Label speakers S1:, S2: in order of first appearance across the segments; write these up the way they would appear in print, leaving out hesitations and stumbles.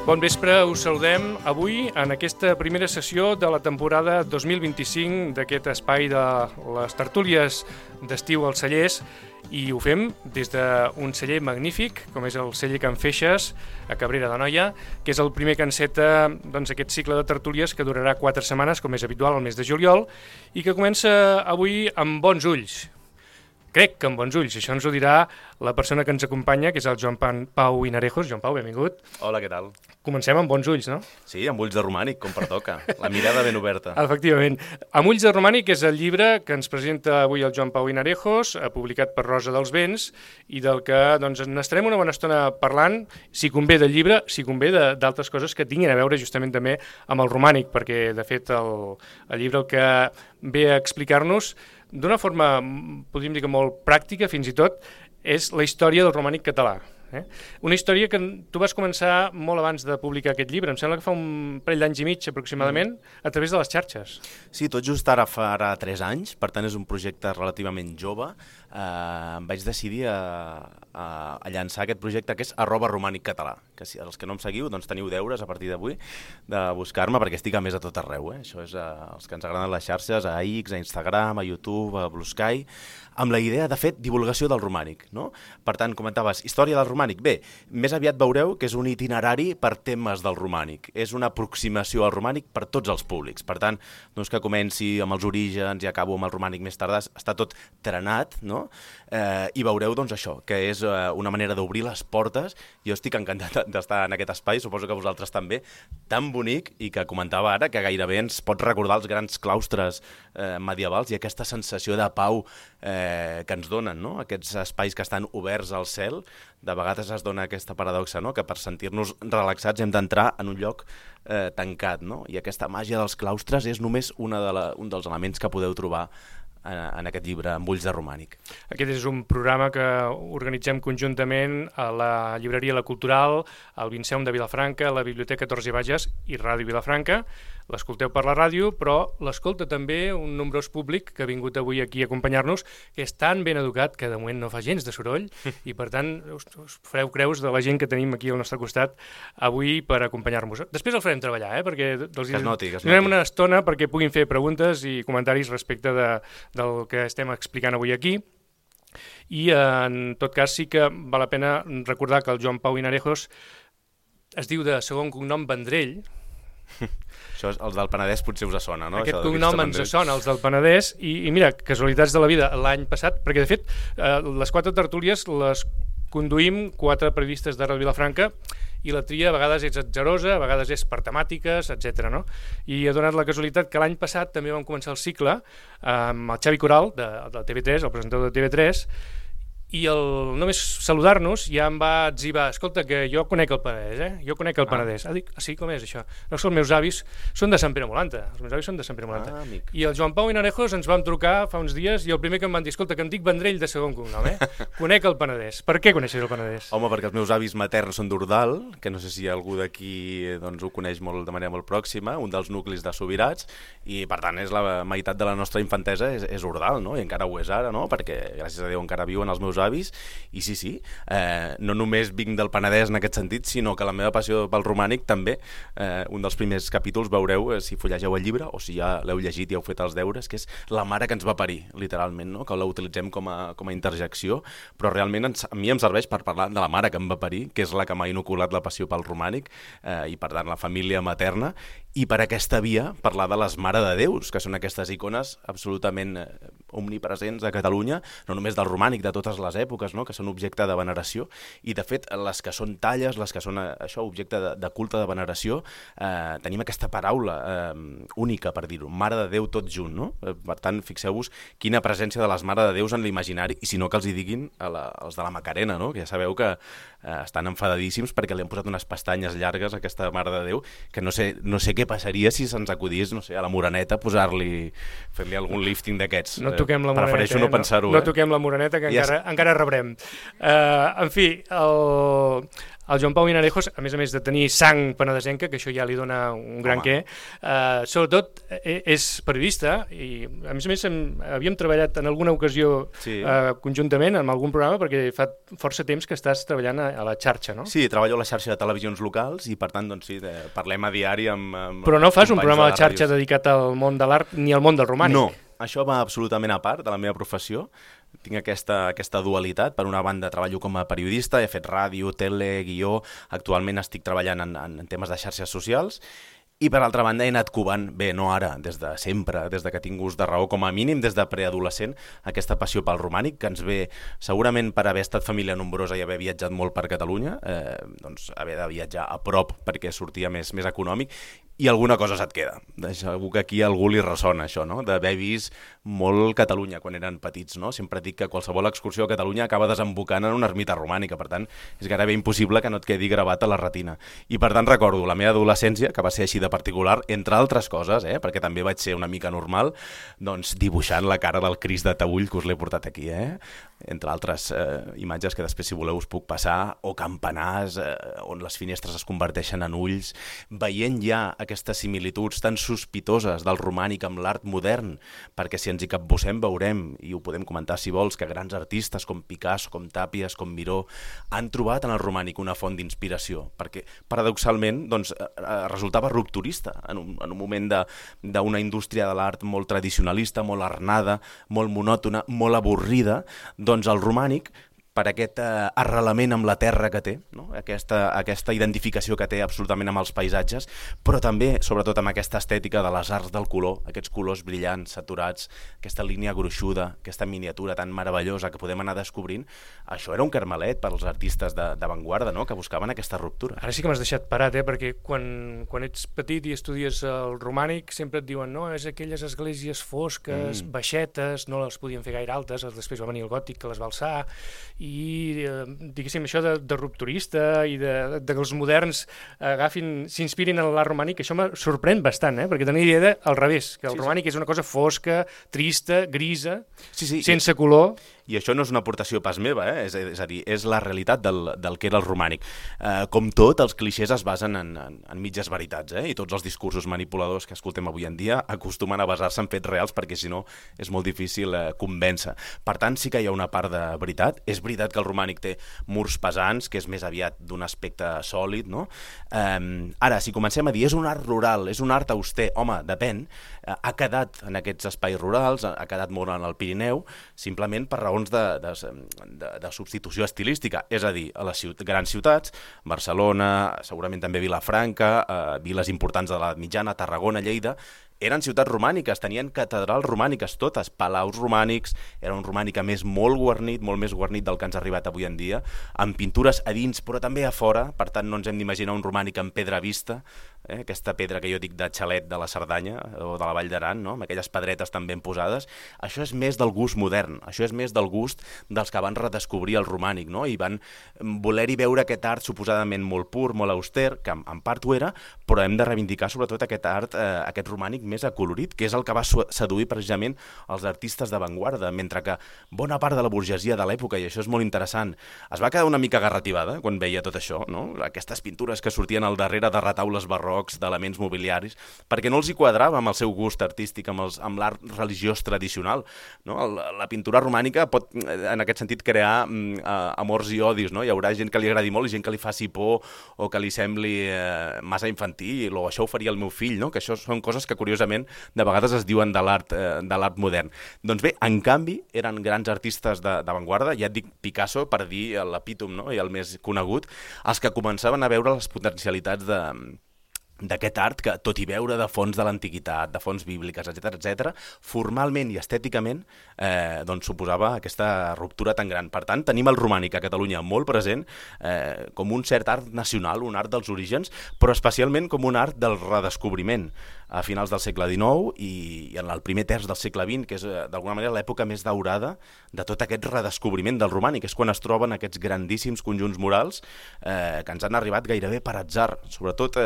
S1: Bon vespre, us saludem avui en aquesta primera sessió de la temporada 2025 d'aquest espai de les tertúlies d'estiu als cellers i ho fem des d'un celler magnífic, com és el celler Can Feixes, a Cabrera d'Anoia, que és el primer que enceta aquest cicle de tertúlies que durarà 4 setmanes, com és habitual al mes de juliol, i que comença avui amb bons ulls. Crec que amb bons ulls, això ens ho dirà la persona que ens acompanya, que és el Joan Pau Hinarejos. Joan Pau, benvingut.
S2: Hola, què tal?
S1: Comencem amb bons ulls, no?
S2: Sí, amb ulls de romànic, com pertoca. La mirada ben oberta.
S1: Efectivament. Amb ulls de romànic és el llibre que ens presenta avui el Joan Pau Hinarejos, publicat per Rosa dels Vents, i del que n'estarem una bona estona parlant, si convé del llibre, si convé d'altres coses que tinguin a veure justament també amb el romànic, perquè de fet el llibre el que ve a explicar-nos d'una forma, podríem dir que molt pràctica fins i tot, és la història del romànic català. Una història que tu vas començar molt abans de publicar aquest llibre, em sembla que fa un parell d'anys i mig aproximadament, a través de les xarxes.
S2: Sí, tot just ara farà 3 anys, per tant és un projecte relativament jove. Em vaig decidir a llançar aquest projecte que és @romàniccatalà, que si els que no em seguiu doncs teniu deures a partir d'avui de buscar-me perquè estic a més a tot arreu. Això és els que ens agraden les xarxes, a X, a Instagram, a YouTube, a Blue Sky, amb la idea de fer divulgació del romànic, no? Per tant, comentaves, història del romànic. Bé, més aviat veureu que és un itinerari per temes del romànic. És una aproximació al romànic per tots els públics. Per tant, no és que comenci amb els orígens i acabo amb el romànic més tardà, està tot trenat, no? I veureu doncs això, que és una manera d'obrir les portes. Jo estic encantat d'estar en aquest espai, suposo que vosaltres també, tan bonic i que comentava ara que gairebé ens pot recordar els grans claustres medievals i aquesta sensació de pau que ens donen, no? Aquests espais que estan oberts al cel. De vegades es dona aquesta paradoxa, no? Que per sentir-nos relaxats hem d'entrar en un lloc tancat, no? I aquesta màgia dels claustres és només un dels elements que podeu trobar en aquest llibre, amb ulls de romànic.
S1: Aquest és un programa que organitzem conjuntament a la llibreria La Cultural, al Vinceum de Vilafranca, la Biblioteca Torres i Bages i Ràdio Vilafranca. L'escolteu per la ràdio, però l'escolta també un nombrós públic que ha vingut avui aquí a acompanyar-nos, que és tan ben educat que de moment no fa gens de soroll i per tant us fareu creus de la gent que tenim aquí al nostre costat avui per acompanyar-nos. Després el farem treballar, perquè donem una estona perquè puguin fer preguntes i comentaris respecte del que estem explicant avui aquí. I en tot cas sí que val la pena recordar que el Joan Pau Hinarejos es diu de segon cognom Vendrell.
S2: Això, els del Penedès potser us sona, no?
S1: Aquest cognom ens sona, els del Penedès, i mira, casualitats de la vida, l'any passat, perquè de fet les 4 tertúlies les conduïm 4 periodistes de Ràdio Vilafranca i la tria a vegades és atzarosa, a vegades és per temàtiques, etc. No? I ha donat la casualitat que l'any passat també vam començar el cicle amb el Xavi Coral, de TV3, el presentador de TV3, i només saludar-nos ja em va etzibar, escolta, que jo conec el Penedès, jo conec el Penedès. Dic, sí, com és això? No, els meus avis són de Sant Pere Molanta, I el Joan Pau Hinarejos ens vam trucar fa uns dies i el primer que em van dir, escolta, que em dic Vendrell de segon cognom, conec el Penedès. Per què coneixes el Penedès?
S2: Home, perquè els meus avis materns són d'Ordal, que no sé si algú d'aquí ho coneix de manera molt pròxima, un dels nuclis de Subirats, i per tant és la meitat de la nostra infantesa és Ordal, no? I encara ho és ara, no? Perquè gràcies a Déu encara viuen els meus avis, i sí, no només vinc del Penedès en aquest sentit, sinó que la meva passió pel romànic també, un dels primers capítols veureu, si fullegeu el llibre o si ja l'heu llegit i heu fet els deures, que és la mare que ens va parir, literalment, no? Que la utilitzem com a interjecció, però realment a mi em serveix per parlar de la mare que em va parir, que és la que m'ha inoculat la passió pel romànic, i per tant la família materna, i per aquesta via parlar de les Mare de Déus, que són aquestes icones absolutament omnipresents a Catalunya, no només del romànic, de totes les èpoques, no? Que són objecte de veneració, i de fet les que són talles, les que són objecte de culte de veneració, tenim aquesta paraula única per dir-ho, Mare de Déu tot junt, no? Per tant, fixeu-vos quina presència de les Mare de Déus en l'imaginari, i si no que els hi diguin els de la Macarena, no? Que ja sabeu que estan enfadadíssims perquè li han posat unes pestanyes llargues a aquesta Mare de Déu, que no sé què passaria si se'ns acudís, no sé, a la Moreneta fer-li algun lifting d'aquests.
S1: No toquem la Moreneta.
S2: Prefereixo no pensar-ho.
S1: No toquem la Moreneta, que encara rebrem. En fi, El Joan Pau Vinarejos, a més de tenir sang penedesenca, que això ja li dona un gran què, sobretot és periodista i a més havíem treballat en alguna ocasió conjuntament en algun programa perquè fa força temps que estàs treballant a la xarxa, no?
S2: Sí, treballo a la xarxa de televisions locals i per tant doncs sí, parlem a diari amb
S1: Però no fas un programa a la xarxa dedicat al món de l'art ni al món del romànic?
S2: No, això va absolutament a part de la meva professió. Tinc aquesta dualitat. Per una banda treballo com a periodista, he fet ràdio, tele, guió, actualment estic treballant en temes de xarxes socials i per altra banda he anat covant, bé, no ara, des de sempre, des de que tinc gust de raó, com a mínim des de preadolescent, aquesta passió pel romànic, que ens ve segurament per haver estat família nombrosa i haver viatjat molt per Catalunya, doncs haver de viatjar a prop perquè sortia més econòmic, i alguna cosa se't queda. Segur que aquí a algú li ressona això, no? D'haver vist molt Catalunya quan eren petits, no? Sempre dic que qualsevol excursió a Catalunya acaba desembocant en una ermita romànica, per tant, és gairebé impossible que no et quedi gravat a la retina. I per tant recordo la meva adolescència, que va ser així de particular, entre altres coses, perquè també vaig ser una mica normal, doncs dibuixant la cara del Crist de Taüll, que us l'he portat aquí, entre altres imatges que després, si voleu, us puc passar, o campanars on les finestres es converteixen en ulls, veient ja aquestes similituds tan sospitoses del romànic amb l'art modern, perquè si ens hi capbussem veurem, i ho podem comentar si vols, que grans artistes com Picasso, com Tàpies, com Miró, han trobat en el romànic una font d'inspiració, perquè paradoxalment doncs, resultava rupturista en un moment d'una indústria de l'art molt tradicionalista, molt arnada, molt monòtona, molt avorrida, doncs el romànic, per aquest arrelament amb la terra que té, no? Aquesta identificació que té absolutament amb els paisatges, però també, sobretot, amb aquesta estètica de les arts del color, aquests colors brillants, saturats, aquesta línia gruixuda, aquesta miniatura tan meravellosa que podem anar descobrint, això era un carmelet per als artistes d'avantguarda, no? Que buscaven aquesta ruptura.
S1: Ara sí que m'has deixat parat, perquè quan ets petit i estudies el romànic sempre et diuen no, és aquelles esglésies fosques, baixetes, no les podien fer gaire altes, després va venir el gòtic que les va alçar, i diguéssim això de rupturista i de que els moderns s'inspirin en l'art romànic, això em sorprèn bastant, perquè tenia idea al revés, que el romànic és una cosa fosca, trista, grisa, sense color.
S2: I això no és una aportació pas meva, és a dir, és la realitat del que era el romànic. Com tot, els clixés es basen en mitges veritats, i tots els discursos manipuladors que escoltem avui en dia acostumen a basar-se en fets reals perquè si no és molt difícil convèncer. Per tant, sí que hi ha una part de veritat. És veritat que el romànic té murs pesants, que és més aviat d'un aspecte sòlid, no? Ara, si comencem a dir és un art rural, és un art auster, home, depèn, ha quedat en aquests espais rurals, ha quedat molt en el Pirineu, simplement per raons de substitució estilística, és a dir, a les grans ciutats, Barcelona, segurament també Vilafranca, viles importants de l'edat mitjana, Tarragona, Lleida, eren ciutats romàniques, tenien catedrals romàniques totes, palaus romànics, era un romànic a més molt guarnit, molt més guarnit del que ens ha arribat avui en dia, amb pintures a dins però també a fora, per tant no ens hem d'imaginar un romànic amb pedra vista, aquesta pedra que jo dic de xalet de la Cerdanya o de la Vall d'Aran, no? Amb aquelles pedretes tan ben posades, això és més del gust modern, això és més del gust dels que van redescobrir el romànic, no? I van voler-hi veure aquest art suposadament molt pur, molt auster, que en part ho era, però hem de reivindicar sobretot aquest art, aquest romànic més acolorit, que és el que va seduir precisament els artistes d'avantguarda, mentre que bona part de la burgesia de l'època, i això és molt interessant, es va quedar una mica garrativada quan veia tot això, no? Aquestes pintures que sortien al darrere de retaules barrocs, d'elements mobiliaris, perquè no els hi quadrava amb el seu gust artístic, amb l'art religiós tradicional, no? La pintura romànica pot, en aquest sentit, crear amors i odis, no? Hi haurà gent que li agradi molt i gent que li faci por o que li sembli massa infantil, o això ho faria el meu fill, no? Que això són coses que curiosament de vegades es diuen de l'art modern. Doncs bé, en canvi, eren grans artistes d'avantguarda, ja et dic Picasso per dir l'epítom, no? I el més conegut, els que començaven a veure les potencialitats d'aquest art que, tot i veure de fonts de l'antiguitat, de fonts bíbliques, etc., formalment i estèticament doncs suposava aquesta ruptura tan gran. Per tant, tenim el romànic a Catalunya molt present com un cert art nacional, un art dels orígens, però especialment com un art del redescobriment a finals del segle XIX i en el primer terç del segle XX, que és d'alguna manera l'època més daurada de tot aquest redescobriment del romànic. És quan es troben aquests grandíssims conjunts murals que ens han arribat gairebé per atzar. Sobretot,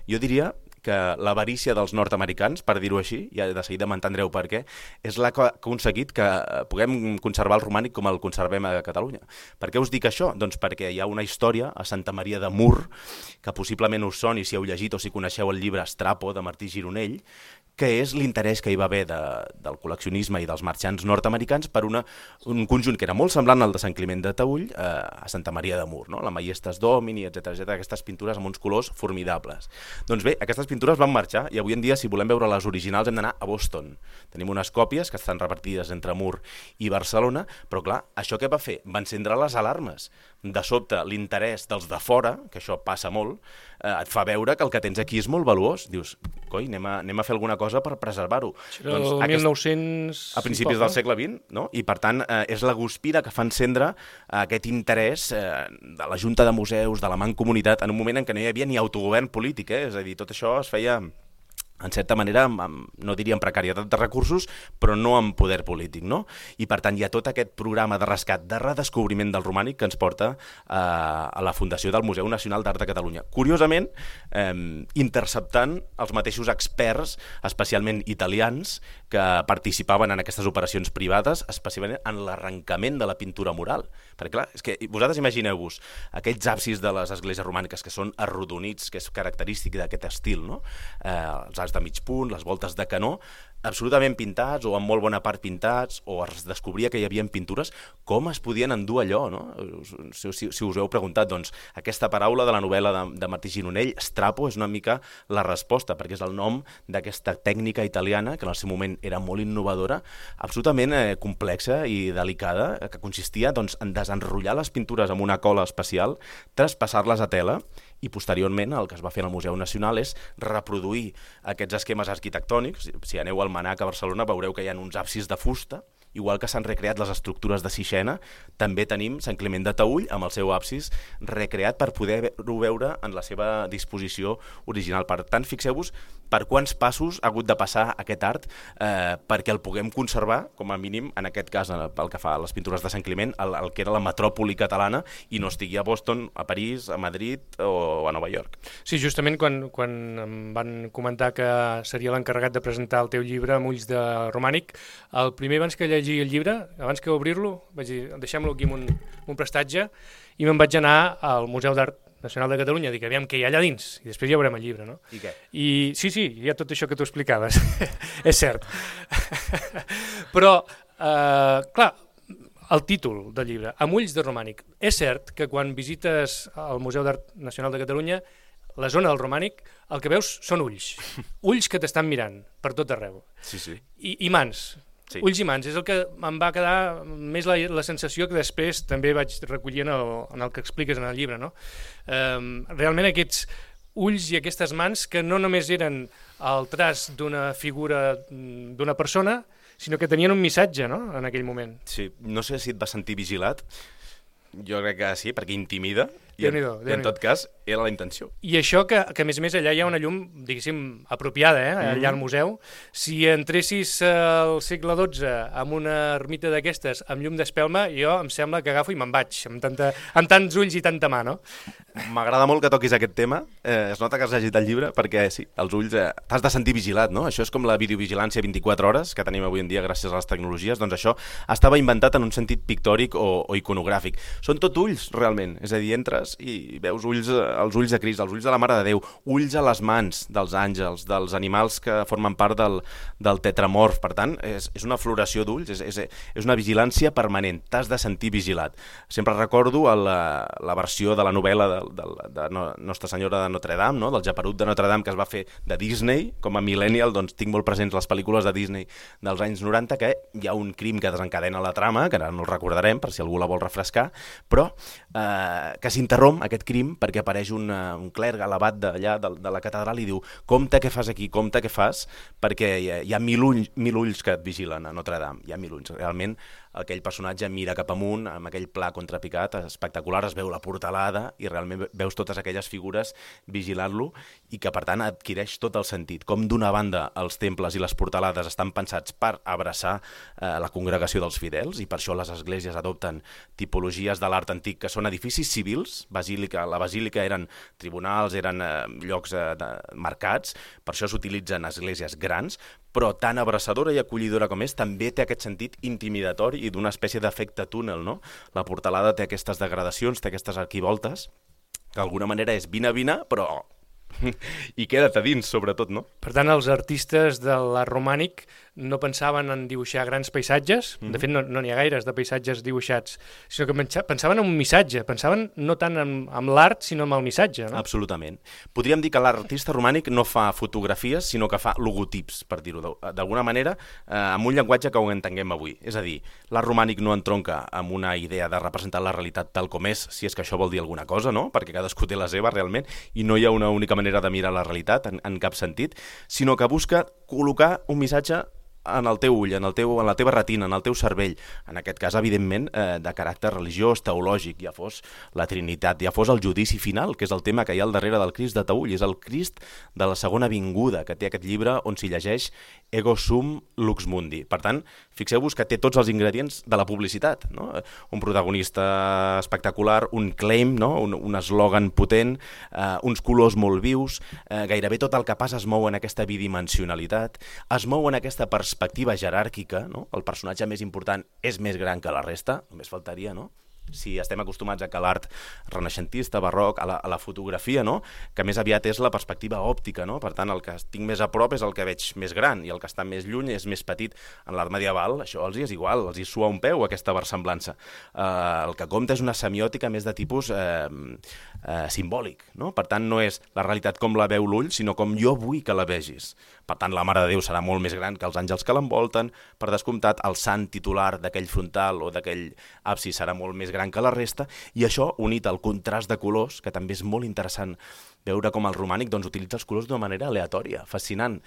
S2: jo diria que l'avarícia dels nord-americans, per dir-ho així, i de seguida m'entendreu per què, és la que ha aconseguit que puguem conservar el romànic com el conservem a Catalunya. Per què us dic això? Doncs perquè hi ha una història a Santa Maria de Mur, que possiblement us soni si heu llegit o si coneixeu el llibre Strapo, de Martí Gironell, que és l'interès que hi va haver del col·leccionisme i dels marxants nord-americans per un conjunt que era molt semblant al de Sant Climent de Taüll a Santa Maria de Mur, no? La Maiestas Domini, etc, aquestes pintures amb uns colors formidables. Doncs bé, aquestes pintures van marxar i avui en dia, si volem veure les originals, hem d'anar a Boston. Tenim unes còpies que estan repartides entre Mur i Barcelona, però clar, això què va fer? Va encendre les alarmes. De sobte, l'interès dels de fora, que això passa molt, et fa veure que el que tens aquí és molt valuós. Dius, coi, anem a fer alguna cosa per preservar-ho.
S1: Doncs 1900...
S2: A principis del segle XX, no? I per tant, és la guspira que fa encendre aquest interès de la Junta de Museus, de la Mancomunitat, en un moment en què no hi havia ni autogovern polític, És a dir, tot això es feia... en certa manera, no diria amb precarietat de recursos, però no amb poder polític, no? I per tant hi ha tot aquest programa de rescat, de redescobriment del romànic que ens porta a la fundació del Museu Nacional d'Art de Catalunya. Curiosament, interceptant els mateixos experts, especialment italians, que participaven en aquestes operacions privades, especialment en l'arrencament de la pintura mural. Perquè clar, és que vosaltres imagineu-vos aquells absis de les esglésies romàniques que són arrodonits, que és característic d'aquest estil, no? Els arcs de mig punt, les voltes de canó, absolutament pintats o en molt bona part pintats, o es descobria que hi havia pintures, com es podien endur allò, no? Si us heu preguntat, doncs, aquesta paraula de la novel·la de Martí Gironell, Strapo, és una mica la resposta, perquè és el nom d'aquesta tècnica italiana, que en el seu moment era molt innovadora, absolutament complexa i delicada, que consistia doncs, en desenrotllar les pintures amb una cola especial, traspassar-les a tela, i posteriorment el que es va fer al Museu Nacional és reproduir aquests esquemes arquitectònics. Si aneu al Manac a Barcelona veureu que hi ha uns absis de fusta, igual que s'han recreat les estructures de Sixena, també tenim Sant Climent de Taüll amb el seu absis recreat per poder-ho veure en la seva disposició original. Per tant, fixeu-vos per quants passos ha hagut de passar aquest art perquè el puguem conservar, com a mínim, en aquest cas, pel que fa a les pintures de Sant Climent, el que era la metròpoli catalana i no estigui a Boston, a París, a Madrid o a Nova York.
S1: Sí, justament quan em van comentar que seria l'encarregat de presentar el teu llibre amb ulls de romànic, el primer abans que llegir el llibre, abans que obrir-lo, vaig dir, deixem-lo aquí amb un prestatge, i me'n vaig anar al Museu d'Art Nacional de Catalunya, dic, aviam què hi ha allà dins, i després ja veurem el llibre, no?
S2: I què?
S1: Sí, hi ha tot això que tu explicaves, és cert. Però, clar, el títol del llibre, Amb ulls de romànic, és cert que quan visites el Museu d'Art Nacional de Catalunya, la zona del romànic, el que veus són ulls, ulls que t'estan mirant per tot arreu.
S2: Sí, sí.
S1: I mans. Sí. Ulls i mans, és el que em va quedar més la sensació que després també vaig recollir en el que expliques en el llibre, no? Realment aquests ulls i aquestes mans que no només eren el traç d'una figura d'una persona, sinó que tenien un missatge, no?, en aquell moment.
S2: Sí, no sé si et vas sentir vigilat, jo crec que sí, perquè intimida, i en tot cas era la intenció.
S1: I això que a més a més allà hi ha una llum, diguéssim, apropiada, allà al museu. Si entressis al segle XII amb una ermita d'aquestes amb llum d'espelma, jo em sembla que agafo i me'n vaig, amb tants ulls i tanta mà, no?
S2: M'agrada molt que toquis aquest tema, es nota que has llegit el llibre, perquè sí, els ulls t'has de sentir vigilat, no? Això és com la videovigilància 24 hores que tenim avui en dia gràcies a les tecnologies, doncs això estava inventat en un sentit pictòric o iconogràfic. Són tot ulls, realment, és a dir, entres i veus els ulls de Crist, els ulls de la Mare de Déu, ulls a les mans dels àngels, dels animals que formen part del tetramorf. Per tant, és una floració d'ulls, és una vigilància permanent, t'has de sentir vigilat. Sempre recordo la versió de la novel·la de Nostra Senyora de Notre Dame, no? Del Geperut de Notre Dame, que es va fer de Disney. Com a millennial, doncs tinc molt presents les pel·lícules de Disney dels anys 90, que hi ha un crim que desencadena la trama, que ara no el recordarem per si algú la vol refrescar, però que s'interromp aquest crim perquè apareix un clergue elevat d'allà de la catedral i diu: compte què fas aquí, compte què fas, perquè hi ha mil ulls que et vigilen a Notre Dame, hi ha 1000 ulls. Realment aquell personatge mira cap amunt amb aquell pla contrapicat espectacular, es veu la portalada i realment veus totes aquelles figures vigilant-lo i que per tant adquireix tot el sentit. Com d'una banda els temples i les portalades estan pensats per abraçar la congregació dels fidels i per això les esglésies adopten tipologies de l'art antic que són edificis civils, més. La basílica eren tribunals, eren llocs marcats, per això s'utilitzen esglésies grans, però tan abraçadora i acollidora com és, també té aquest sentit intimidatori i d'una espècie d'efecte túnel, no? La portalada té aquestes degradacions, té aquestes arquivoltes, que d'alguna manera és vine, però i queda't a dins, sobretot, no?
S1: Per tant, els artistes de l'art romànic no pensaven en dibuixar grans paisatges, de fet no n'hi ha gaires de paisatges dibuixats, sinó que pensaven en un missatge, pensaven no tant en l'art, sinó en el missatge, no?
S2: Absolutament. Podríem dir que l'artista romànic no fa fotografies, sinó que fa logotips, per dir-ho d'alguna manera, amb un llenguatge que ho entenguem avui. És a dir, l'art romànic no entronca amb una idea de representar la realitat tal com és, si és que això vol dir alguna cosa, no? Perquè cadascú té la seva, realment, i no hi ha una única manera de mirar la realitat en cap sentit, sinó que busca col·locar un missatge en el teu ull, en la teva retina, en el teu cervell, en aquest cas, evidentment, de caràcter religiós, teològic, ja fos la Trinitat, ja fos el judici final, que és el tema que hi ha al darrere del Crist de Taüll, és el Crist de la segona vinguda, que té aquest llibre on s'hi llegeix Ego sum lux mundi. Per tant, fixeu-vos que té tots els ingredients de la publicitat, no? Un protagonista espectacular, un claim, no? un eslògan potent, uns colors molt vius, gairebé tot el que passa es mou en aquesta bidimensionalitat, es mou en aquesta perspectiva jeràrquica, no? El personatge més important és més gran que la resta, només faltaria, no? Si estem acostumats a que l'art renaixentista, barroc, a la fotografia, no? Que més aviat és la perspectiva òptica, no? Per tant, el que tinc més a prop és el que veig més gran i el que està més lluny és més petit. En l'art medieval això els és igual, els hi sua un peu aquesta versemblança. El que compta és una semiòtica més de tipus simbòlic, no? Per tant, no és la realitat com la veu l'ull, sinó com jo vull que la vegis. Per tant, la Mare de Déu serà molt més gran que els àngels que l'envolten, per descomptat, el sant titular d'aquell frontal o d'aquell absis serà molt més gran que la resta, i això, unit al contrast de colors, que també és molt interessant veure com el romànic doncs, utilitza els colors d'una manera aleatòria, fascinant.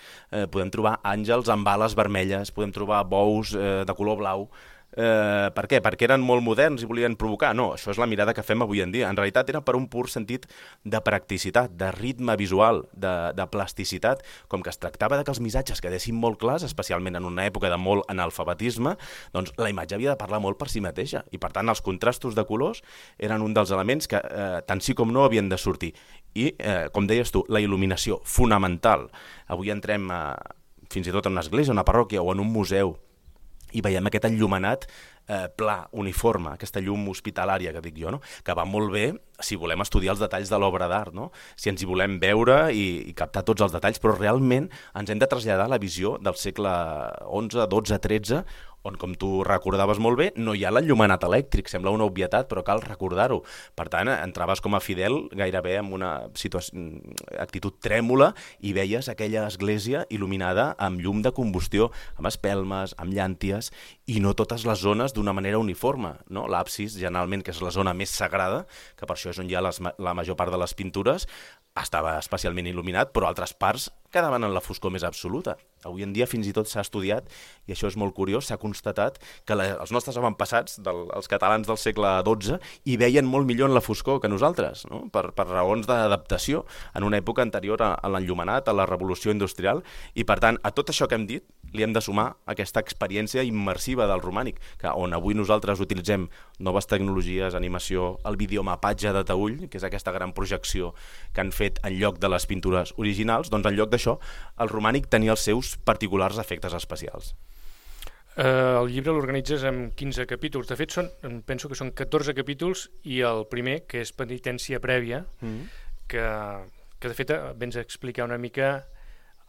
S2: Podem trobar àngels amb ales vermelles, podem trobar bous de color blau. Per què? Perquè eren molt moderns i volien provocar? No, això és la mirada que fem avui en dia. En realitat era per un pur sentit de practicitat, de ritme visual, de plasticitat, com que es tractava de que els missatges quedessin molt clars, especialment en una època de molt analfabetisme, doncs la imatge havia de parlar molt per si mateixa, i per tant els contrastos de colors eren un dels elements que tant sí com no havien de sortir. I, com deies tu, la il·luminació, fonamental. Avui entrem fins i tot en una església, una parròquia o en un museu, i veiem aquest enllumenat pla, uniforme, aquesta llum hospitalària que dic jo, no? Que va molt bé si volem estudiar els detalls de l'obra d'art, no? Si ens hi volem veure i captar tots els detalls, però realment ens hem de traslladar a la visió del segle XI, XII, XIII, on, com tu recordaves molt bé, no hi ha l'enllumenat elèctric, sembla una obvietat, però cal recordar-ho. Per tant, entraves com a fidel gairebé amb una actitud trèmula i veies aquella església il·luminada amb llum de combustió, amb espelmes, amb llànties, i no totes les zones d'una manera uniforme, no? L'absis, generalment, que és la zona més sagrada, que per això és on hi ha la major part de les pintures, estava especialment il·luminat, però altres parts quedaven en la foscor més absoluta. Avui en dia fins i tot s'ha estudiat, i això és molt curiós, s'ha constatat que els nostres avantpassats, els catalans del segle XII, hi veien molt millor en la foscor que nosaltres, no? Per raons d'adaptació en una època anterior a l'enllumenat, a la revolució industrial, i per tant, a tot això que hem dit, li hem de sumar aquesta experiència immersiva del romànic, que on avui nosaltres utilitzem noves tecnologies, animació, el videomapatge de Taüll, que és aquesta gran projecció que han fet en lloc de les pintures originals, doncs en lloc d'això, el romànic tenia els seus particulars efectes especials.
S1: El llibre l'organitzes en 15 capítols. De fet, penso que són 14 capítols i el primer, que és penitència prèvia, que de fet vens a explicar una mica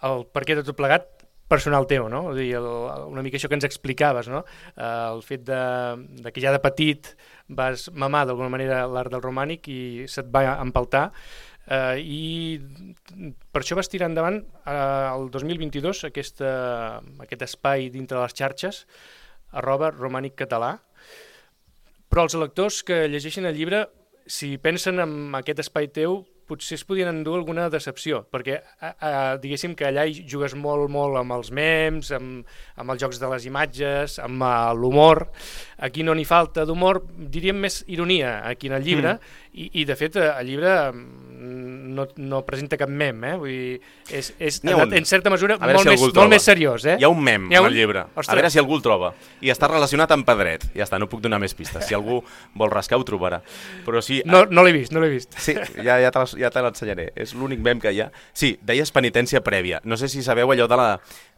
S1: el per què de tot plegat personal teu, no? Vull dir, una mica això que ens explicaves, no? El fet de que ja de petit vas mamar d'alguna manera l'art del romànic i se't va empaltar, i per això vas tirar endavant el 2022 aquest espai dintre les xarxes @romàniccatalà, però els lectors que llegeixin el llibre, si pensen en aquest espai teu, potser es podien endur alguna decepció, perquè diguéssim que allà hi jugues molt amb els memes, amb els jocs de les imatges, amb l'humor. aquí no n'hi falta d'humor, diríem més ironia aquí en el llibre, i de fet el llibre no presenta cap mem, vull dir, és en certa mesura molt més seriós.
S2: Hi ha un mem al llibre, a veure si algú el troba, i està relacionat amb Pedret, ja està, no puc donar més pistes, si algú vol rascar ho trobarà. Però sí,
S1: no l'he vist.
S2: Sí, ja te l'ensenyaré, és l'únic mem que hi ha. Sí, deies penitència prèvia, no sé si sabeu allò de la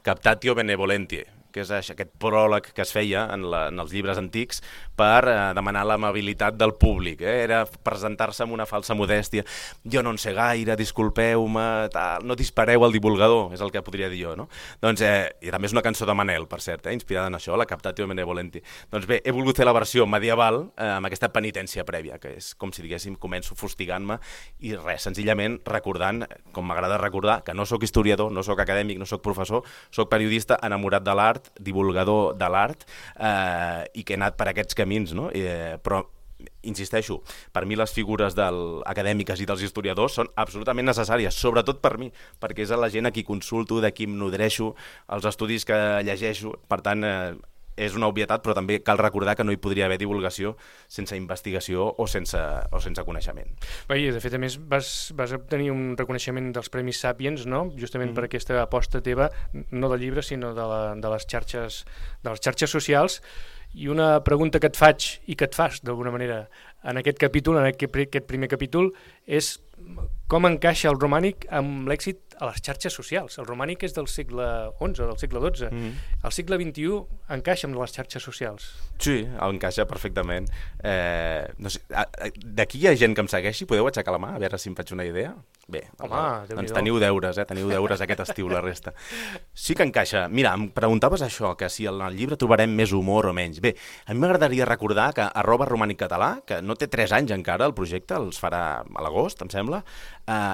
S2: Captatio Benevolentie, que és aquest pròleg que es feia en els llibres antics per demanar l'amabilitat del públic. Era presentar-se amb una falsa modèstia. Jo no en sé gaire, disculpeu-me, no dispareu al divulgador, és el que podria dir jo, no? Doncs, i també és una cançó de Manel, per cert, inspirada en això, la Captatio Benevolenti. Doncs bé, he volgut fer la versió medieval amb aquesta penitència prèvia, que és com si diguéssim, començo fustigant-me i res, senzillament recordant, com m'agrada recordar, que no sóc historiador, no sóc acadèmic, no sóc professor, sóc periodista enamorat de l'art, divulgador de l'art, i que he anat per aquests camins, no? Però insisteixo, per mi les figures acadèmiques i dels historiadors són absolutament necessàries, sobretot per mi, perquè és la gent a qui consulto, de qui em nodreixo, els estudis que llegeixo, per tant, és una obvietat, però també cal recordar que no hi podria haver divulgació sense investigació o sense coneixement.
S1: I de fet, a més, vas obtenir un reconeixement dels Premis Sàpiens, no? Justament per aquesta aposta teva, no del llibre, sinó de les xarxes socials. I una pregunta que et faig i que et fas, d'alguna manera, en aquest capítol, en aquest primer capítol, és com encaixa el romànic amb l'èxit a les xarxes socials. El romànic és del segle XI, del segle XII. El segle XXI encaixa amb les xarxes socials.
S2: Sí, encaixa perfectament. No sé, d'aquí hi ha gent que em segueixi? Podeu aixecar la mà, a veure si em faig una idea? Bé, doncs teniu deures aquest estiu, la resta. Sí que encaixa. Mira, em preguntaves això, que si en el llibre trobarem més humor o menys. Bé, a mi m'agradaria recordar que @romàniccatalà, que no té 3 anys encara el projecte, els farà a l'agost, em sembla,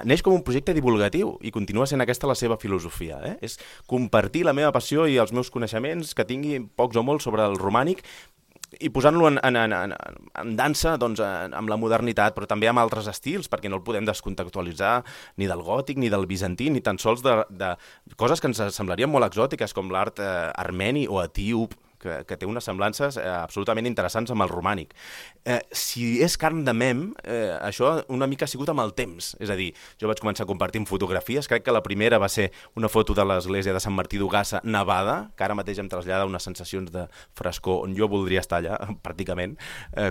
S2: neix com un projecte divulgatiu i continua sent aquesta la seva filosofia. És compartir la meva passió i els meus coneixements que tingui pocs o molts sobre el romànic i posant-lo en dansa doncs, amb la modernitat, però també amb altres estils, perquè no el podem descontextualitzar ni del gòtic, ni del bizantí, ni tan sols de coses que ens semblarien molt exòtiques, com l'art armeni o etíop, que té unes semblances absolutament interessants amb el romànic. Si és carn de mem, això una mica ha sigut amb el temps. És a dir, jo vaig començar compartint fotografies, crec que la primera va ser una foto de l'església de Sant Martí d'Ogassa nevada, que ara mateix em trasllada unes sensacions de frescor on jo voldria estar allà, pràcticament,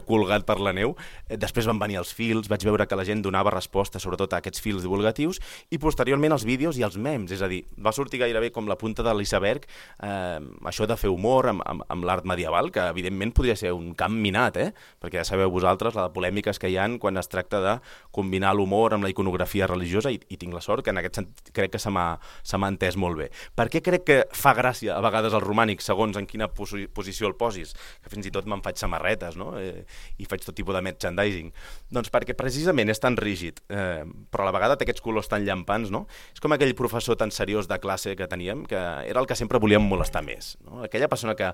S2: colgat per la neu. Després van venir els fils, vaig veure que la gent donava resposta sobretot a aquests fils divulgatius, i posteriorment els vídeos i els mems, és a dir, va sortir gairebé com la punta de l'iceberg, això de fer humor amb l'art medieval, que evidentment podria ser un camp minat, perquè ja sabeu vosaltres les polèmiques que hi ha quan es tracta de combinar l'humor amb la iconografia religiosa, i tinc la sort que en aquest sentit crec que se m'ha entès molt bé. Per què crec que fa gràcia a vegades el romànic, segons en quina posició el posis? Que fins i tot me'n faig samarretes, no? I faig tot tipus de merchandising. Doncs perquè precisament és tan rígid, però a la vegada té aquests colors tan llampants, no? És com aquell professor tan seriós de classe que teníem, que era el que sempre volíem molestar més, no? Aquella persona que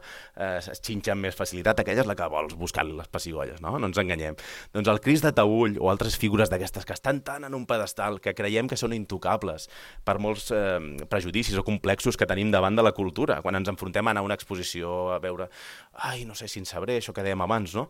S2: es xinxa amb més facilitat, aquella és la que vols buscar-li les pessigolles, no ens enganyem. Doncs el Crist de Taüll o altres figures d'aquestes que estan tan en un pedestal que creiem que són intocables per molts prejudicis o complexos que tenim davant de la cultura, quan ens enfrontem a anar a una exposició, a veure, no sé si en sabré, això que dèiem abans, no?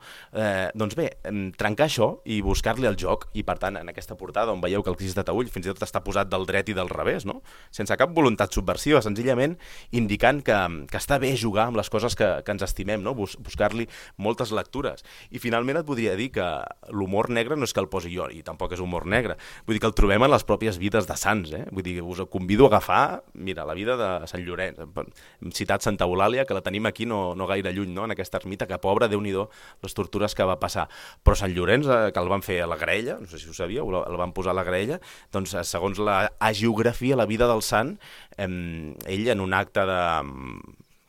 S2: Doncs bé, trencar això i buscar-li el joc, i per tant en aquesta portada on veieu que el Crist de Taüll fins i tot està posat del dret i del revés, no? Sense cap voluntat subversiva, senzillament indicant que està bé jugar amb les coses que ens estimem, no? Buscar-li moltes lectures. I finalment et podria dir que l'humor negre no és que el posi jo, i tampoc és humor negre. Vull dir que el trobem en les pròpies vides de sants, Vull dir que us convido a agafar, mira, la vida de Sant Llorenç. Hem citat Santa Eulàlia, que la tenim aquí no gaire lluny, no? En aquesta ermita, que pobra, Déu-n'hi-do, les tortures que va passar. Però Sant Llorenç, que el van fer a la graella, no sé si ho sabíeu, el van posar a la graella, doncs segons la hagiografia, la vida del sant, ell en un acte de,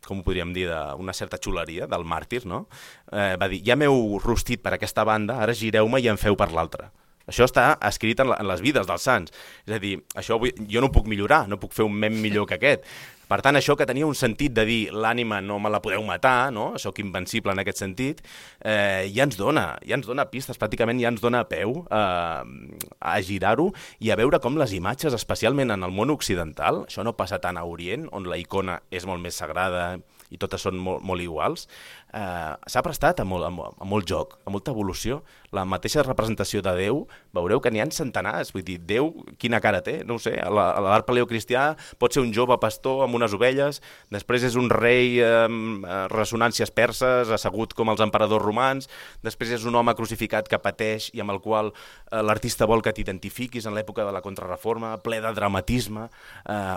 S2: com ho podríem dir, d'una certa xuleria del màrtir, no? Va dir, ja m'heu rostit per aquesta banda, ara gireu-me i en feu per l'altra. Això està escrit en les vides dels sants. És a dir, això jo no ho puc millorar, no puc fer un mem millor que aquest. Per tant, això que tenia un sentit de dir l'ànima no me la podeu matar, no? Sóc invencible en aquest sentit, ja ens dona pistes, pràcticament ja ens dona peu a girar-ho i a veure com les imatges, especialment en el món occidental, això no passa tant a Orient, on la icona és molt més sagrada i totes són molt iguals, s'ha prestat a molt joc, a molta evolució. La mateixa representació de Déu, veureu que n'hi ha centenars, vull dir, Déu quina cara té, no ho sé, a l'art paleocristià pot ser un jove pastor amb unes ovelles, després és un rei amb ressonàncies perses, assegut com els emperadors romans, després és un home crucificat que pateix i amb el qual l'artista vol que t'identifiquis en l'època de la Contrarreforma, ple de dramatisme,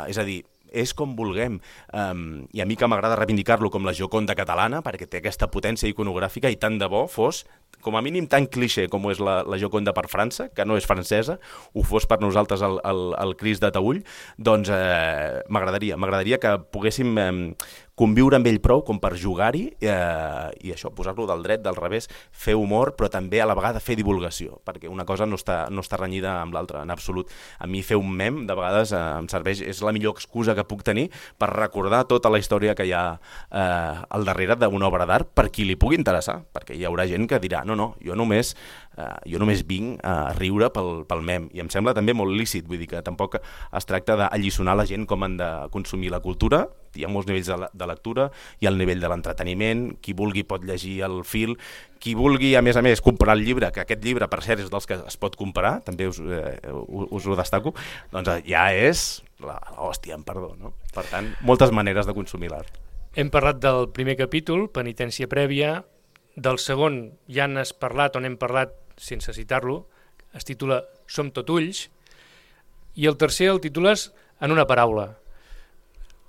S2: és a dir, és com vulguem, i a mi que m'agrada reivindicar-lo com la Gioconda catalana, perquè té aquesta potència iconogràfica i tant de bo fos, com a mínim tan cliché com és la Gioconda per França, que no és francesa, ho fos per nosaltres el Crist de Taüll, doncs m'agradaria que poguéssim conviure amb ell prou com per jugar-hi i això, posar-lo del dret, del revés, fer humor, però també a la vegada fer divulgació, perquè una cosa no està renyida amb l'altra, en absolut. A mi fer un mem, de vegades, em serveix, és la millor excusa que puc tenir per recordar tota la història que hi ha al darrere d'una obra d'art per qui li pugui interessar, perquè hi haurà gent que dirà, no, jo només vinc a riure pel mem, i em sembla també molt lícit, vull dir que tampoc es tracta d'alliçonar la gent com han de consumir la cultura. Hi ha molts nivells de lectura, hi ha el nivell de l'entreteniment, qui vulgui pot llegir el fil, qui vulgui a més comprar el llibre, que aquest llibre per cert és dels que es pot comprar, també us ho destaco, doncs ja és l'hòstia, amb perdó, no? Per tant, moltes maneres de consumir l'art.
S1: Hem parlat del primer capítol, penitència prèvia, del segon ja n'has parlat, on hem parlat sense citar-lo, es titula Som tot ulls, i el tercer el titules en una paraula,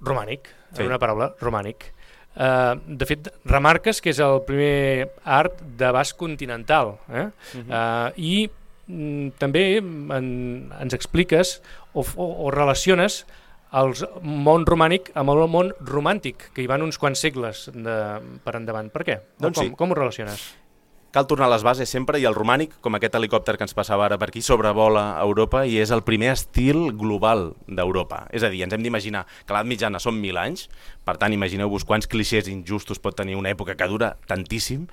S1: romànic, en una paraula, romànic. De fet, remarques que és el primer art d'abast continental, i també ens expliques o relaciones el món romànic amb el món romàntic, que hi van uns quants segles per endavant. Per què?
S2: Doncs
S1: com ho relaciones?
S2: Cal tornar a les bases sempre, i el romànic, com aquest helicòpter que ens passava ara per aquí, sobrevola Europa i és el primer estil global d'Europa. És a dir, ens hem d'imaginar que l'edat mitjana són 1.000 anys, per tant, imagineu-vos quants clixés injustos pot tenir una època que dura tantíssim,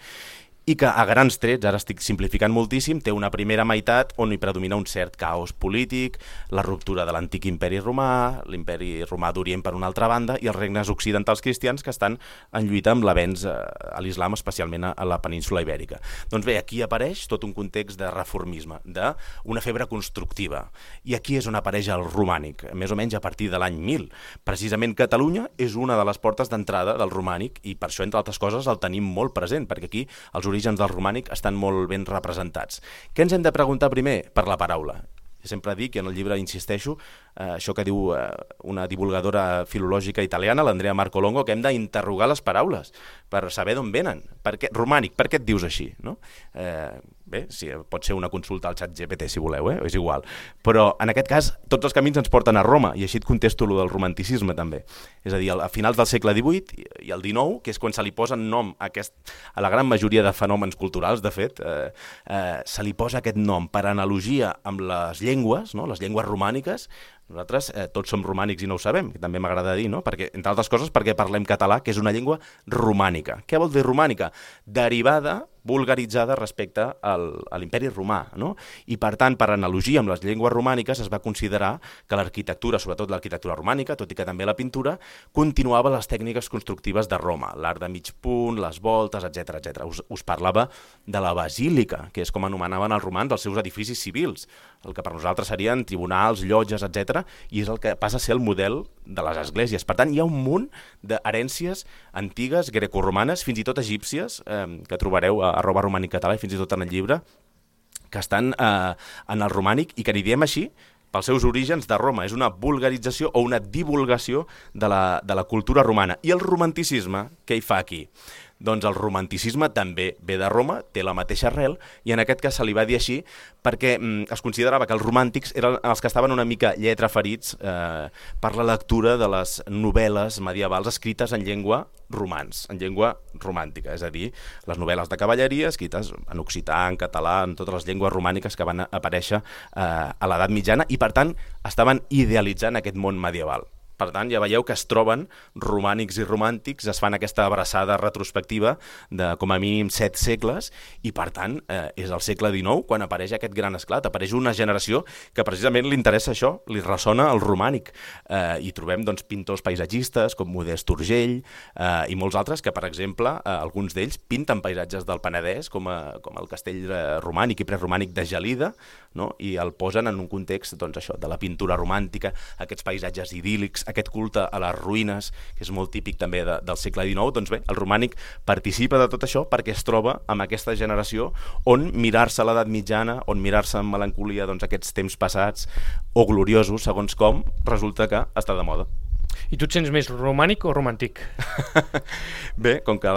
S2: i que a grans trets, ara estic simplificant moltíssim, té una primera meitat on hi predomina un cert caos polític, la ruptura de l'antic imperi romà, l'imperi romà d'Orient per una altra banda, i els regnes occidentals cristians que estan en lluita amb l'avenç a l'islam, especialment a la península ibèrica. Doncs bé, aquí apareix tot un context de reformisme, d'una febre constructiva, i aquí és on apareix el romànic, més o menys a partir de l'any 1000. Precisament Catalunya és una de les portes d'entrada del romànic, i per això, entre altres coses, el tenim molt present, perquè aquí els orígens del romànic estan molt ben representats. Què ens hem de preguntar primer? Per la paraula. Sempre dic, i en el llibre insisteixo, això que diu una divulgadora filològica italiana, l'Andrea Marcolongo, que hem d'interrogar les paraules per saber d'on venen. Romànic, per què et dius així? No? Bé, sí, pot ser una consulta al xat GPT si voleu, és igual. Però en aquest cas tots els camins ens porten a Roma, i així et contesto lo del romanticisme també. És a dir, a finals del segle XVIII i el XIX, que és quan se li posa nom a la gran majoria de fenòmens culturals, de fet, se li posa aquest nom per analogia amb les llengües, no? Les llengües romàniques. Nosaltres tots som romànics i no ho sabem, que també m'agrada dir, no? Perquè, entre altres coses, perquè parlem català, que és una llengua romànica. Què vol dir romànica? Derivada, vulgaritzada respecte a l'imperi romà, no? I per tant, per analogia amb les llengües romàniques, es va considerar que l'arquitectura, sobretot l'arquitectura romànica, tot i que també la pintura, continuava les tècniques constructives de Roma, l'art de mig punt, les voltes, etc. Us parlava de la basílica, que és com anomenaven els romans els seus edificis civils, el que per nosaltres serien tribunals, llotges, etc. I és el que passa a ser el model de les esglésies. Per tant, hi ha un munt d'herències antigues, grecorromanes, fins i tot egípcies, que trobareu a @romànic català i fins i tot en el llibre, que estan en el romànic i que n'hi diem així pels seus orígens de Roma. És una vulgarització o una divulgació de la cultura romana. I el romanticisme, què hi fa aquí? Doncs el romanticisme també ve de Roma, té la mateixa arrel, i en aquest cas se li va dir així perquè es considerava que els romàntics eren els que estaven una mica lletraferits per la lectura de les novel·les medievals escrites en llengua romans, en llengua romàntica, és a dir, les novel·les de cavalleria escrites en occità, en català, en totes les llengües romàniques que van aparèixer a l'edat mitjana, i per tant estaven idealitzant aquest món medieval. Per tant, ja veieu que es troben romànics i romàntics, es fan aquesta abraçada retrospectiva de com a mínim 7 segles, i per tant és al segle XIX quan apareix aquest gran esclat, apareix una generació que precisament li interessa això, li ressona el romànic, i trobem doncs, pintors paisatgistes com Modest Urgell i molts altres que, per exemple, alguns d'ells pinten paisatges del Penedès com el castell romànic i preromànic de Gelida, no? I el posen en un context doncs, això, de la pintura romàntica, aquests paisatges idíl·lics, aquest culte a les ruïnes, que és molt típic també del segle XIX. Doncs bé, el romànic participa de tot això perquè es troba amb aquesta generació on mirar-se l'edat mitjana, on mirar-se amb melancolia doncs, aquests temps passats o gloriosos, segons com, resulta que està de moda.
S1: I tu et sents més romànic o romàntic?
S2: Bé, com que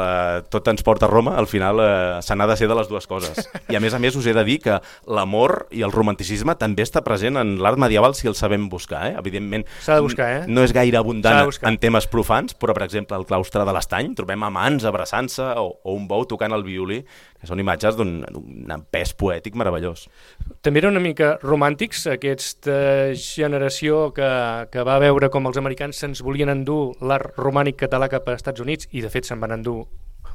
S2: tot ens porta a Roma, al final se n'ha de ser de les dues coses. I a més us he de dir que l'amor i el romanticisme també està present en l'art medieval si el sabem buscar. Evidentment,
S1: s'ha de buscar,
S2: no és gaire abundant en temes profans, però per exemple al claustre de l'Estany trobem amants abraçant-se o un bou tocant el violí, que són imatges d'un pes poètic meravellós.
S1: També eren una mica romàntics, aquesta generació que va veure com els americans se'ns volien endur l'art romànic català cap als Estats Units, i de fet se'n van endur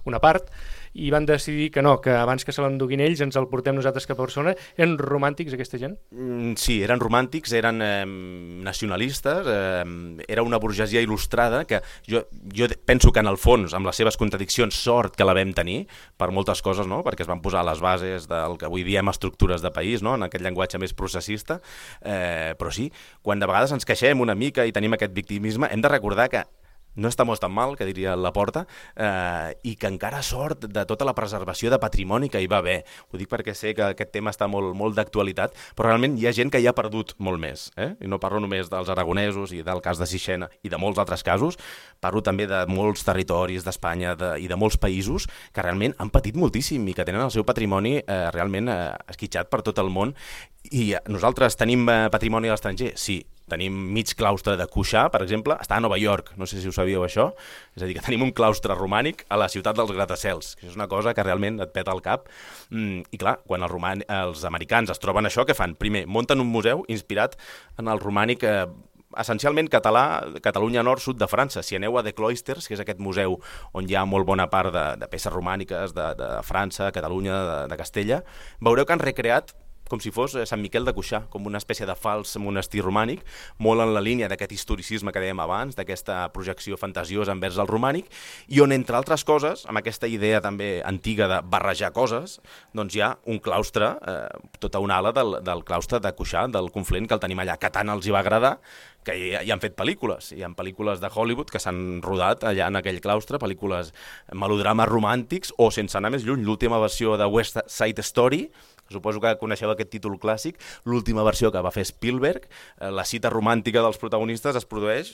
S1: una part, i van decidir que no, que abans que se l'enduguin ells ens el portem nosaltres cap a Barcelona. Eren romàntics aquesta gent?
S2: Sí, eren romàntics, eren nacionalistes, era una burgesia il·lustrada que jo penso que en el fons, amb les seves contradiccions, sort que la vam tenir per moltes coses, no? Perquè es van posar les bases del que avui diem estructures de país, no? En aquest llenguatge més processista, però sí, quan de vegades ens queixem una mica i tenim aquest victimisme, hem de recordar que no estamos tan mal, que diria Laporta, i que encara sort de tota la preservació de patrimoni que hi va haver. Ho dic perquè sé que aquest tema està molt d'actualitat, però realment hi ha gent que hi ha perdut molt més. I no parlo només dels aragonesos i del cas de Sixena i de molts altres casos, parlo també de molts territoris d'Espanya i de molts països que realment han patit moltíssim i que tenen el seu patrimoni realment esquitxat per tot el món. I nosaltres tenim patrimoni a l'estranger? Sí. Tenim mig claustre de Cuixà, per exemple, està a Nova York, no sé si ho sabíeu això, és a dir, que tenim un claustre romànic a la ciutat dels gratacels, que és una cosa que realment et peta el cap, i clar, quan els americans es troben això, què fan? Primer, munten un museu inspirat en el romànic essencialment català, Catalunya Nord, sud de França. Si aneu a The Cloisters, que és aquest museu on hi ha molt bona part de peces romàniques de França, Catalunya, de Castella, veureu que han recreat com si fos Sant Miquel de Cuixà, com una espècie de fals monestir romànic, molt en la línia d'aquest historicisme que dèiem abans, d'aquesta projecció fantasiosa envers el romànic, i on, entre altres coses, amb aquesta idea també antiga de barrejar coses, doncs hi ha un claustre, tota una ala del claustre de Cuixà, del Conflent, que el tenim allà, que tant els hi va agradar, que hi han fet pel·lícules. Hi ha pel·lícules de Hollywood que s'han rodat allà en aquell claustre, pel·lícules melodrames romàntics, o, sense anar més lluny, l'última versió de West Side Story, suposo que coneixeu aquest títol clàssic, l'última versió que va fer Spielberg, la cita romàntica dels protagonistes es produeix,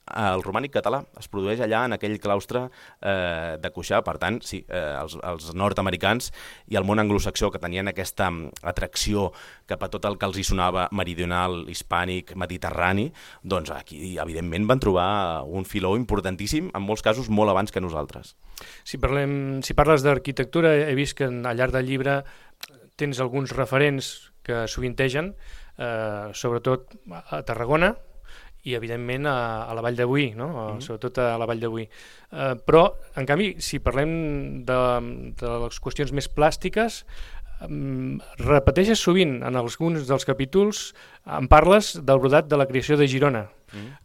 S2: el romànic català, es produeix allà en aquell claustre de Cuixà. Per tant, sí, els nord-americans i el món anglosaxó, que tenien aquesta atracció cap a tot el que els hi sonava meridional, hispànic, mediterrani, doncs aquí, evidentment, van trobar un filó importantíssim, en molts casos molt abans que nosaltres.
S1: Si parles d'arquitectura, he vist que al llarg del llibre tens alguns referents que sovintegen, sobretot a Tarragona i, evidentment, a la Vall de Boí, no? Sobretot a la Vall de Boí. Però, en canvi, si parlem de les qüestions més plàstiques, repeteixes sovint en alguns dels capítols, en parles del brodat de la creació de Girona,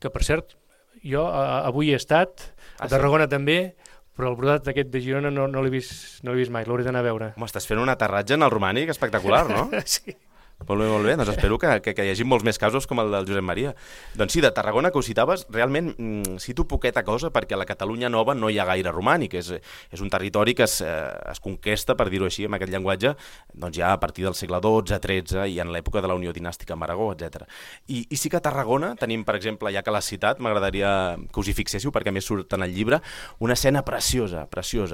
S1: que, per cert, jo avui he estat, a Tarragona també, però el brodat aquest de Girona no l'he vist mai, l'hauré d'anar a veure.
S2: Home, estàs fent un aterratge en el romànic espectacular, no?
S1: Sí.
S2: Molt bé. Doncs espero que hi hagi molts més casos com el del Josep Maria. Doncs sí, de Tarragona, que ho citaves, realment cito poqueta cosa perquè a la Catalunya Nova no hi ha gaire romànic. És un territori que es conquesta, per dir-ho així, amb aquest llenguatge, doncs ja a partir del segle XII, XIII i en l'època de la Unió Dinàstica amb Aragó, etc. I sí que a Tarragona tenim, per exemple, ja que l'has citat, m'agradaria que us hi fixéssiu perquè més surt en el llibre, una escena preciosa.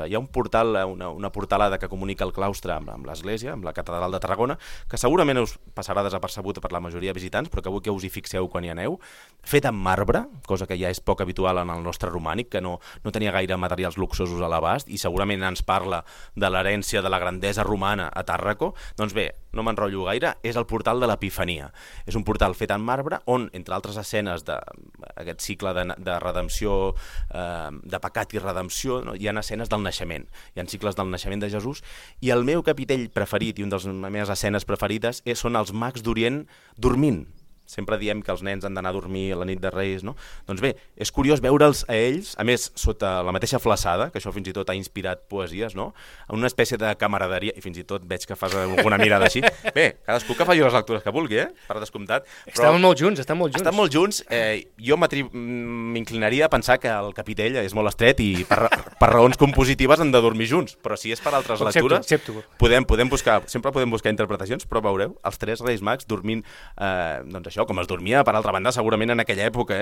S2: Hi ha un portal, una portalada que comunica el claustre amb l'església, amb la catedral de Tarragona, que segurament us veus passarà desapercebuda per la majoria de visitants, però que vull que us hi fixeu quan hi aneu, fet en marbre, cosa que ja és poc habitual en el nostre romànic, que no tenia gaire materials luxosos a l'abast, i segurament ens parla de l'herència de la grandesa romana a Tàrraco. Doncs bé, no m'enrotllo gaire, és el portal de l'Epifania. És un portal fet en marbre on, entre altres escenes d'aquest cicle de redempció, de pecat i redempció, no? Hi ha escenes del naixement, hi ha cicles del naixement de Jesús, i el meu capitell preferit i una de les meves escenes preferides són els mags d'Orient dormint. Sempre diem que els nens han d'anar a dormir a la nit de Reis, no? Doncs bé, és curiós veure'ls a ells, a més, sota la mateixa flaçada, que això fins i tot ha inspirat poesies, no? En una espècie de camaraderia, i fins i tot veig que fas alguna mirada així. Bé, cadascú que faci les lectures que vulgui, per descomptat.
S1: Estan molt junts, estan molt junts.
S2: Estan molt junts. Jo m'inclinaria a pensar que el capitell és molt estret i per raons compositives han de dormir junts, però si és per altres lectures, podem buscar, sempre podem buscar interpretacions, però veureu, els tres Reis Mags dormint, doncs això, com es dormia, per altra banda, segurament en aquella època,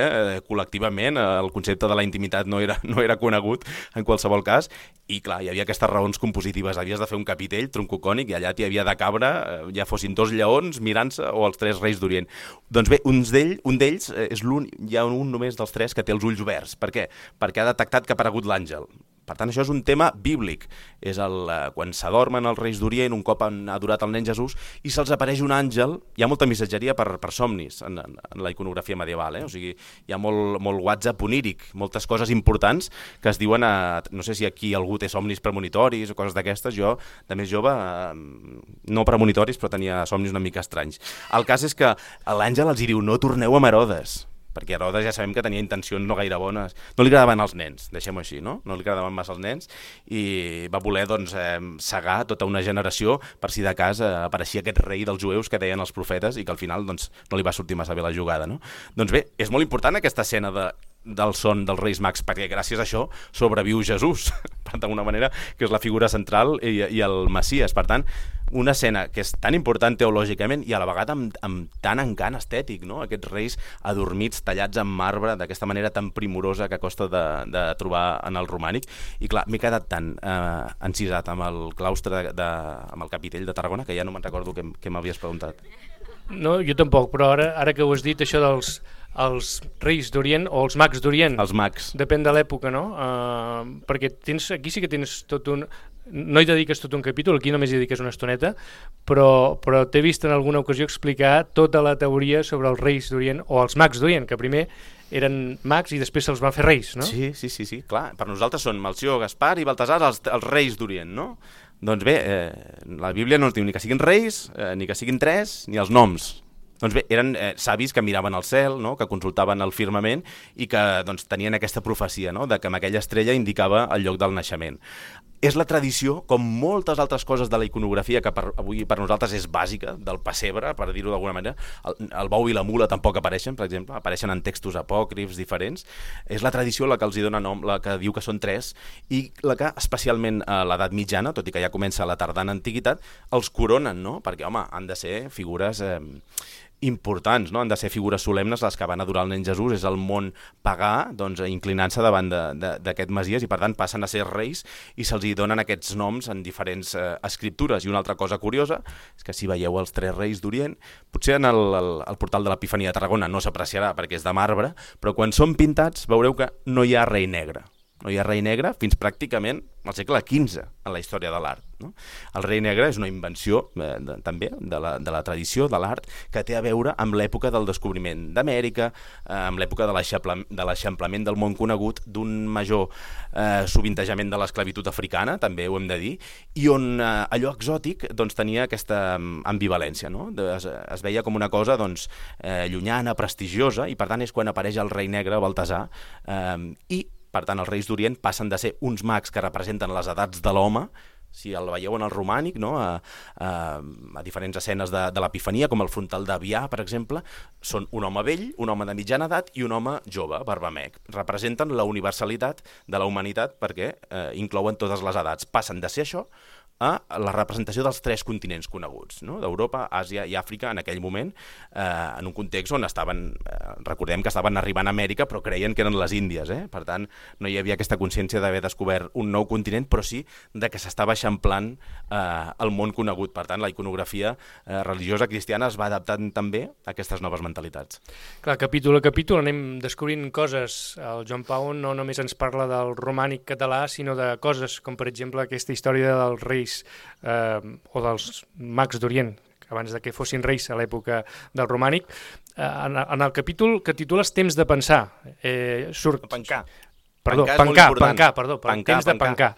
S2: col·lectivament, el concepte de la intimitat no era conegut en qualsevol cas, i clar, hi havia aquestes raons compositives, havies de fer un capitell troncocònic i allà t'hi havia de cabre, ja fossin 2 lleons mirant-se o els 3 reis d'Orient. Doncs bé, un d'ells és l'únic, hi ha un només dels 3 que té els ulls oberts. Per què? Perquè ha detectat que ha aparegut l'àngel. Per tant, això és un tema bíblic. És quan s'adormen els reis d'Orient, un cop han adorat el nen Jesús, i se'ls apareix un àngel. Hi ha molta missatgeria per somnis en la iconografia medieval. O sigui, hi ha molt WhatsApp oníric, moltes coses importants que es diuen no sé si aquí algú té somnis premonitoris o coses d'aquestes. Jo, de més jove, no premonitoris, però tenia somnis una mica estranys. El cas és que l'àngel els diu: no torneu amb Herodes, perquè Herodes ja sabem que tenia intencions no gaire bones. No li agradaven els nens, deixem-ho així, no? No li agradaven massa els nens i va voler cegar tota una generació per si de cas apareixia aquest rei dels jueus que deien els profetes i que al final no li va sortir massa bé la jugada, no? Doncs bé, és molt important aquesta escena del son dels Reis Mags, perquè gràcies a això sobreviu Jesús, d'alguna manera, que és la figura central i el Messies. Per tant, una escena que és tan important teològicament i a la vegada amb tant encant estètic, no? Aquests reis adormits, tallats en marbre, d'aquesta manera tan primorosa que costa de trobar en el romànic. I clar, m'he quedat tan encisat amb el claustre, amb el capitell de Tarragona, que ja no me'n recordo què m'havies preguntat.
S1: No, jo tampoc, però ara que ho has dit, això els reis d'Orient o els mags d'Orient.
S2: Els mags.
S1: Depèn de l'època, no? Perquè aquí sí que tens tot un... No hi dediques tot un capítol, aquí només hi dediques una estoneta, però t'he vist en alguna ocasió explicar tota la teoria sobre els reis d'Orient o els mags d'Orient, que primer eren mags i després se'ls van fer reis, no?
S2: Sí, clar. Per nosaltres són Melcior, Gaspar i Baltasar els reis d'Orient, no? Doncs bé, la Bíblia no ens diu ni que siguin reis, ni que siguin 3, ni els noms. Doncs bé, eren savis que miraven al cel, no? Que consultaven el firmament i que tenien aquesta profecia, no? De que amb aquella estrella indicava el lloc del naixement. És la tradició, com moltes altres coses de la iconografia, que avui per nosaltres és bàsica, del pessebre, per dir-ho d'alguna manera. El bou i la mula tampoc apareixen, per exemple, apareixen en textos apòcrifs diferents. És la tradició la que els dona nom, la que diu que són 3, i la que, especialment a l'edat mitjana, tot i que ja comença a la tardana antiguitat, els coronen, no? Perquè, home, han de ser figures importants, no? Han de ser figures solemnes les que van adorar el nen Jesús. És el món pagà inclinant-se davant d'aquest Messies i per tant passen a ser reis i se'ls donen aquests noms en diferents escriptures. I una altra cosa curiosa és que si veieu els 3 reis d'Orient, potser en el portal de l'Epifania de Tarragona no s'apreciarà perquè és de marbre, però quan són pintats veureu que no hi ha rei negre. No hi ha rei negre fins pràcticament al segle XV en la història de l'art, no? El rei negre és una invenció també de la tradició de l'art que té a veure amb l'època del descobriment d'Amèrica, amb l'època de l'eixamplament del món conegut, d'un major sovintejament de l'esclavitud africana, també ho hem de dir, i on allò exòtic tenia aquesta ambivalència, no? Es veia com una cosa llunyana, prestigiosa, i per tant és quan apareix el rei negre, Baltasar, i per tant, els reis d'Orient passen de ser uns mags que representen les edats de l'home, si el veieu en el romànic, no? A diferents escenes de l'Epifania, com el frontal d'Avià, per exemple, són un home vell, un home de mitjana edat i un home jove, barbamec. Representen la universalitat de la humanitat perquè inclouen totes les edats. Passen de ser això a la representació dels 3 continents coneguts, no? d'Europa, Àsia i Àfrica en aquell moment, en un context on recordem que estaven arribant a Amèrica però creien que eren les Índies. Per tant, no hi havia aquesta consciència d'haver descobert un nou continent, però sí de que s'estava eixamplant el món conegut. Per tant, la iconografia religiosa cristiana es va adaptant també a aquestes noves mentalitats.
S1: Clar, capítol a capítol anem descobrint coses. El Joan Pau no només ens parla del romànic català, sinó de coses com, per exemple, aquesta història dels reis o dels mags d'Orient, abans de que fossin reis a l'època del romànic. En el capítol que titules Temps de pensar, surt...
S2: Pencar.
S1: Pencar, temps de pencar.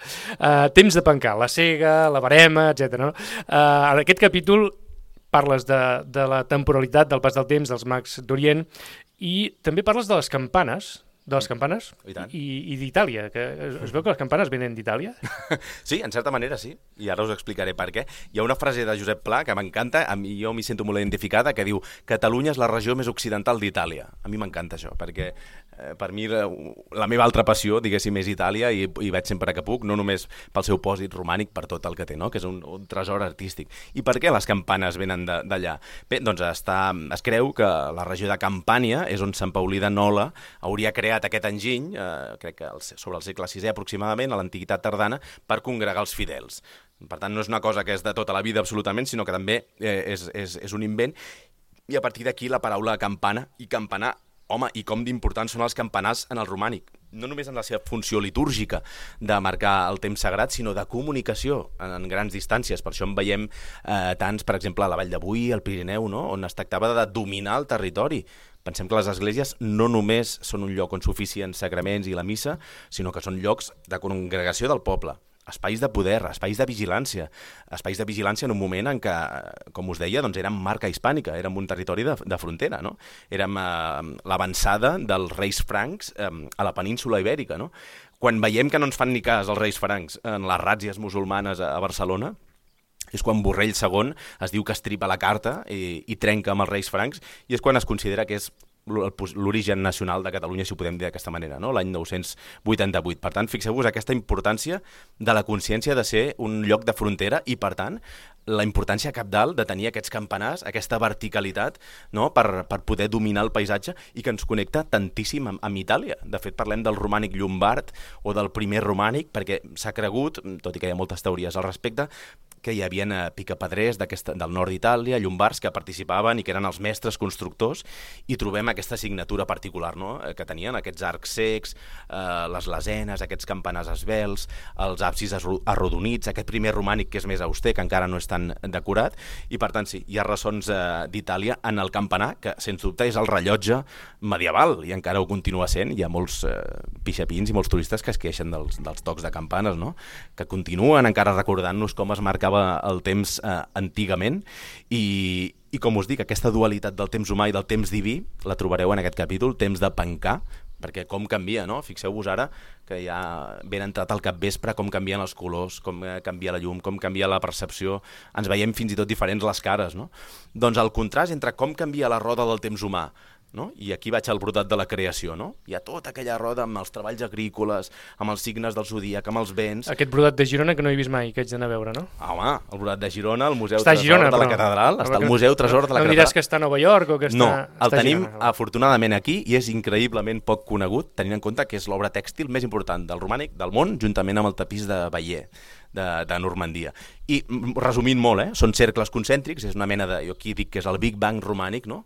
S1: Temps de pencar, la cega, la barema, etc. No? En aquest capítol parles de la temporalitat del pas del temps dels mags d'Orient i també parles de les campanes, i d'Itàlia, que es veu que les campanes venen d'Itàlia?
S2: Sí, en certa manera sí, i ara us explicaré per què. Hi ha una frase de Josep Pla que m'encanta, jo m'hi sento molt identificada, que diu Catalunya és la regió més occidental d'Itàlia. A mi m'encanta això, perquè per mi la meva altra passió, diguéssim, és Itàlia i vaig sempre que puc, no només pel seu pòsit romànic, per tot el que té, no? Que és un tresor artístic. I per què les campanes venen d'allà? Bé, doncs es creu que la regió de Campània és on Sant Paulí de Nola hauria creat aquest enginy, crec que sobre el segle VI aproximadament, a l'antiguitat tardana, per congregar els fidels. Per tant, no és una cosa que és de tota la vida absolutament, sinó que també és un invent. I a partir d'aquí la paraula campana i campanar, home, i com d'importants són els campanars en el romànic. No només en la seva funció litúrgica de marcar el temps sagrat, sinó de comunicació en grans distàncies. Per això en veiem tants, per exemple, a la Vall de Boí, al Pirineu, no? On es tractava de dominar el territori. Pensem que les esglésies no només són un lloc on s'oficien sagraments i la missa, sinó que són llocs de congregació del poble, espais de poder, espais de vigilància en un moment en què, com us deia, doncs érem marca hispànica, érem un territori de frontera, no? Érem l'avançada dels reis francs a la península ibèrica, no? Quan veiem que no ens fan ni cas els reis francs en les ràtzies musulmanes a Barcelona, és quan Borrell II es diu que estripa la carta i trenca amb els reis francs, i és quan es considera que és l'origen nacional de Catalunya, si ho podem dir d'aquesta manera, no? L'any 988. Per tant, fixeu-vos aquesta importància de la consciència de ser un lloc de frontera i, per tant, la importància cabdal de tenir aquests campanars, aquesta verticalitat, no? per poder dominar el paisatge i que ens connecta tantíssim amb Itàlia. De fet, parlem del romànic llombard o del primer romànic, perquè s'ha cregut, tot i que hi ha moltes teories al respecte, que hi havia picapedrers del nord d'Itàlia, llombards, que participaven i que eren els mestres constructors, i trobem aquesta signatura particular, no? Que tenien aquests arcs cecs, les lesenes, aquests campanars esvelts, els absis arrodonits, aquest primer romànic que és més auster, que encara no és tan decorat, i per tant sí, hi ha ressons d'Itàlia en el campanar, que sens dubte és el rellotge medieval, i encara ho continua sent. Hi ha molts pixapins i molts turistes que es queixen dels tocs de campanes, no? Que continuen encara recordant-nos com es marcava el temps antigament, i com us dic, aquesta dualitat del temps humà i del temps diví la trobareu en aquest capítol, temps de pencar, perquè com canvia, no? Fixeu-vos ara que ja ben entrat al capvespre, com canvien els colors, com canvia la llum, com canvia la percepció, ens veiem fins i tot diferents les cares, no? Doncs el contrast entre com canvia la roda del temps humà, no? I aquí vaig al brodat de la creació, no? Hi ha tota aquella roda amb els treballs agrícoles, amb els signes del zodíac, amb els vents...
S1: Aquest brodat de Girona que no he vist mai, que haig d'anar a veure, no?
S2: Home, el brodat de Girona, el Museu Tresor de la Catedral, està al Museu Tresor de la Catedral.
S1: No em diràs que està a Nova York o que està...
S2: No, el tenim afortunadament aquí i és increïblement poc conegut, tenint en compte que és l'obra tèxtil més important del romànic del món, juntament amb el tapís de Bayeux, de Normandia. I resumint molt, són cercles concèntrics, és una mena de, jo aquí dic que és el Big Bang romànic, no?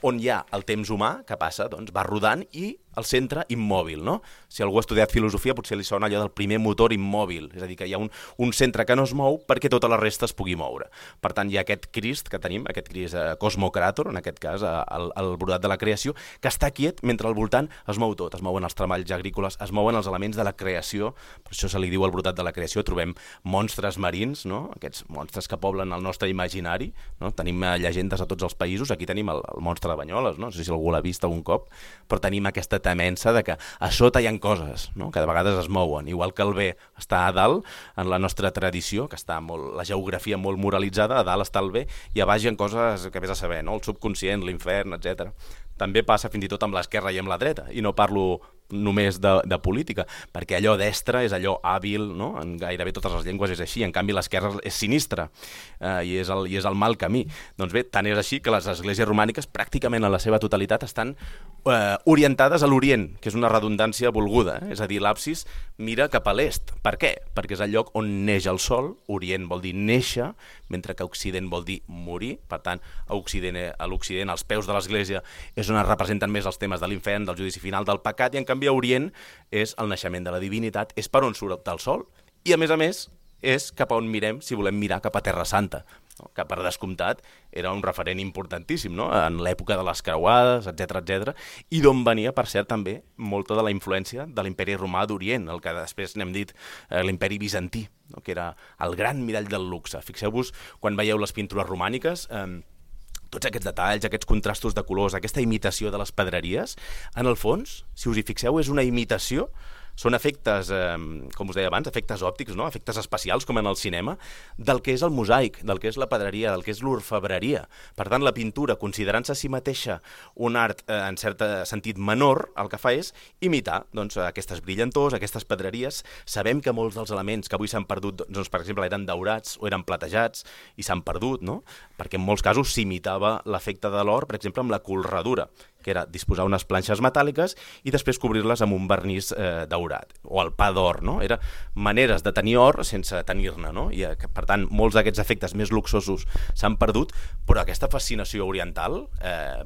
S2: On hi ha el temps humà que passa, doncs va rodant, i el centre immòbil, no? Si algú ha estudiat filosofia potser li sona allò del primer motor immòbil, és a dir, que hi ha un centre que no es mou perquè tota la resta es pugui moure. Per tant, hi ha aquest Crist que tenim, aquest Crist Cosmocràtor, en aquest cas, el brodat de la creació, que està quiet mentre al voltant es mou tot, es mouen els treballs agrícoles, es mouen els elements de la creació, per això se li diu el brodat de la creació. Trobem monstres marins, no? Aquests monstres que poblen el nostre imaginari, no? Tenim llegendes a tots els països, aquí tenim el monstre de Banyoles, no sé si algú l'ha vist algun cop, però tenim aquesta temença de que a sota hi ha coses, no? Que de vegades es mouen, igual que el bé està a dalt en la nostra tradició, que està la geografia molt moralitzada, a dalt està el bé i a baix hi ha coses que vés a saber, no? El subconscient, l'infern, etc. També passa fins i tot amb l'esquerra i amb la dreta, i no parlo només de política, perquè allò destre és allò hàbil, no? En gairebé totes les llengües és així, en canvi l'esquerra és sinistra i és el mal camí. Doncs bé, tant és així que les esglésies romàniques pràcticament en la seva totalitat estan orientades a l'Orient, que és una redundància volguda, és a dir, l'absis mira cap a l'est. Per què? Perquè és el lloc on neix el sol, Orient vol dir néixer, mentre que Occident vol dir morir, per tant, a l'Occident, als peus de l'església, és on es representen més els temes de l'infern, del judici final, del pecat, i en canvi a Orient és el naixement de la divinitat, és per on surt el sol, i a més, és cap a on mirem si volem mirar cap a Terra Santa, no? Que per descomptat era un referent importantíssim, no? En l'època de les creuades, etc, i d'on venia, per cert, també molta de la influència de l'imperi romà d'Orient, el que després n'hem dit l'imperi bizantí, no? Que era el gran mirall del luxe. Fixeu-vos, quan veieu les pintures romàniques, tots aquests detalls, aquests contrastos de colors, aquesta imitació de les pedreries, en el fons, si us hi fixeu, és una imitació. Són efectes, com us deia abans, efectes òptics, no? Efectes espacials, com en el cinema, del que és el mosaic, del que és la pedreria, del que és l'orfebreria. Per tant, la pintura, considerant-se a si mateixa un art en cert sentit menor, el que fa és imitar doncs, aquestes brillantors, aquestes pedreries. Sabem que molts dels elements que avui s'han perdut, doncs, per exemple, eren daurats o eren platejats i s'han perdut, no? Perquè en molts casos s'imitava l'efecte de l'or, per exemple, amb la colradura, que era disposar unes planxes metàl·liques i després cobrir-les amb un vernís daurat, o el pa d'or, no? Era maneres de tenir or sense tenir-ne, no? I, per tant, molts d'aquests efectes més luxosos s'han perdut, però aquesta fascinació oriental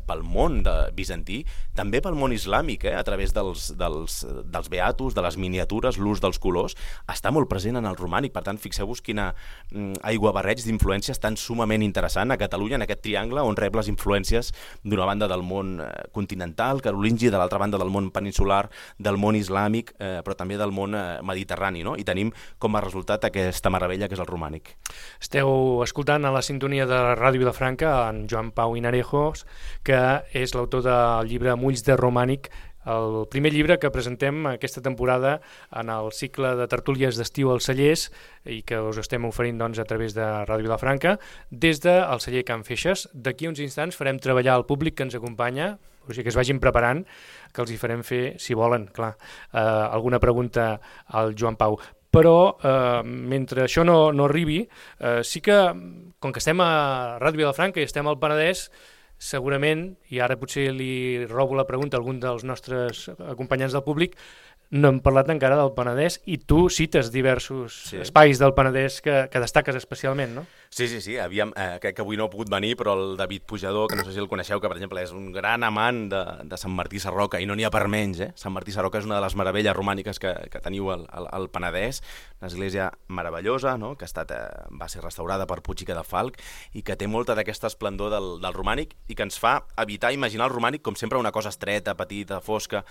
S2: pel món bizantí, també pel món islàmic, a través dels beatos, de les miniatures, l'ús dels colors, està molt present en el romànic. Per tant, fixeu-vos quina aiguabarreig d'influències tan sumament interessant a Catalunya, en aquest triangle on rep les influències d'una banda del món continental, carolingi, de l'altra banda del món peninsular, del món islàmic, però també del món mediterrani, no? I tenim com a resultat aquesta meravella que és el romànic.
S1: Esteu escoltant a la sintonia de Ràdio Vilafranca en Joan Pau Hinarejos, que és l'autor del llibre Mulls de Romànic, el primer llibre que presentem aquesta temporada en el cicle de tertúlies d'estiu als cellers i que us estem oferint doncs, a través de Ràdio Vilafranca des del celler Can Feixes. D'aquí uns instants farem treballar el públic que ens acompanya, o sigui que es vagin preparant, que els hi farem fer, si volen, clar, alguna pregunta al Joan Pau. Però mentre això no arribi, sí que, com que estem a Ràdio Vilafranca i estem al Penedès, segurament, i ara potser li robo la pregunta a algun dels nostres acompanyants del públic, no hem parlat encara del Penedès i tu cites diversos espais del Penedès que destaques especialment, no?
S2: Sí. Crec que avui no ha pogut venir, però el David Pujador, que no sé si el coneixeu, que per exemple és un gran amant de Sant Martí Sarroca, i no n'hi ha per menys, Sant Martí Sarroca és una de les meravelles romàniques que teniu al Penedès, una església meravellosa, no? Que va ser restaurada per Puig i Cadafalch i que té molta d'aquesta esplendor del romànic i que ens fa evitar imaginar el romànic com sempre una cosa estreta, petita, fosca.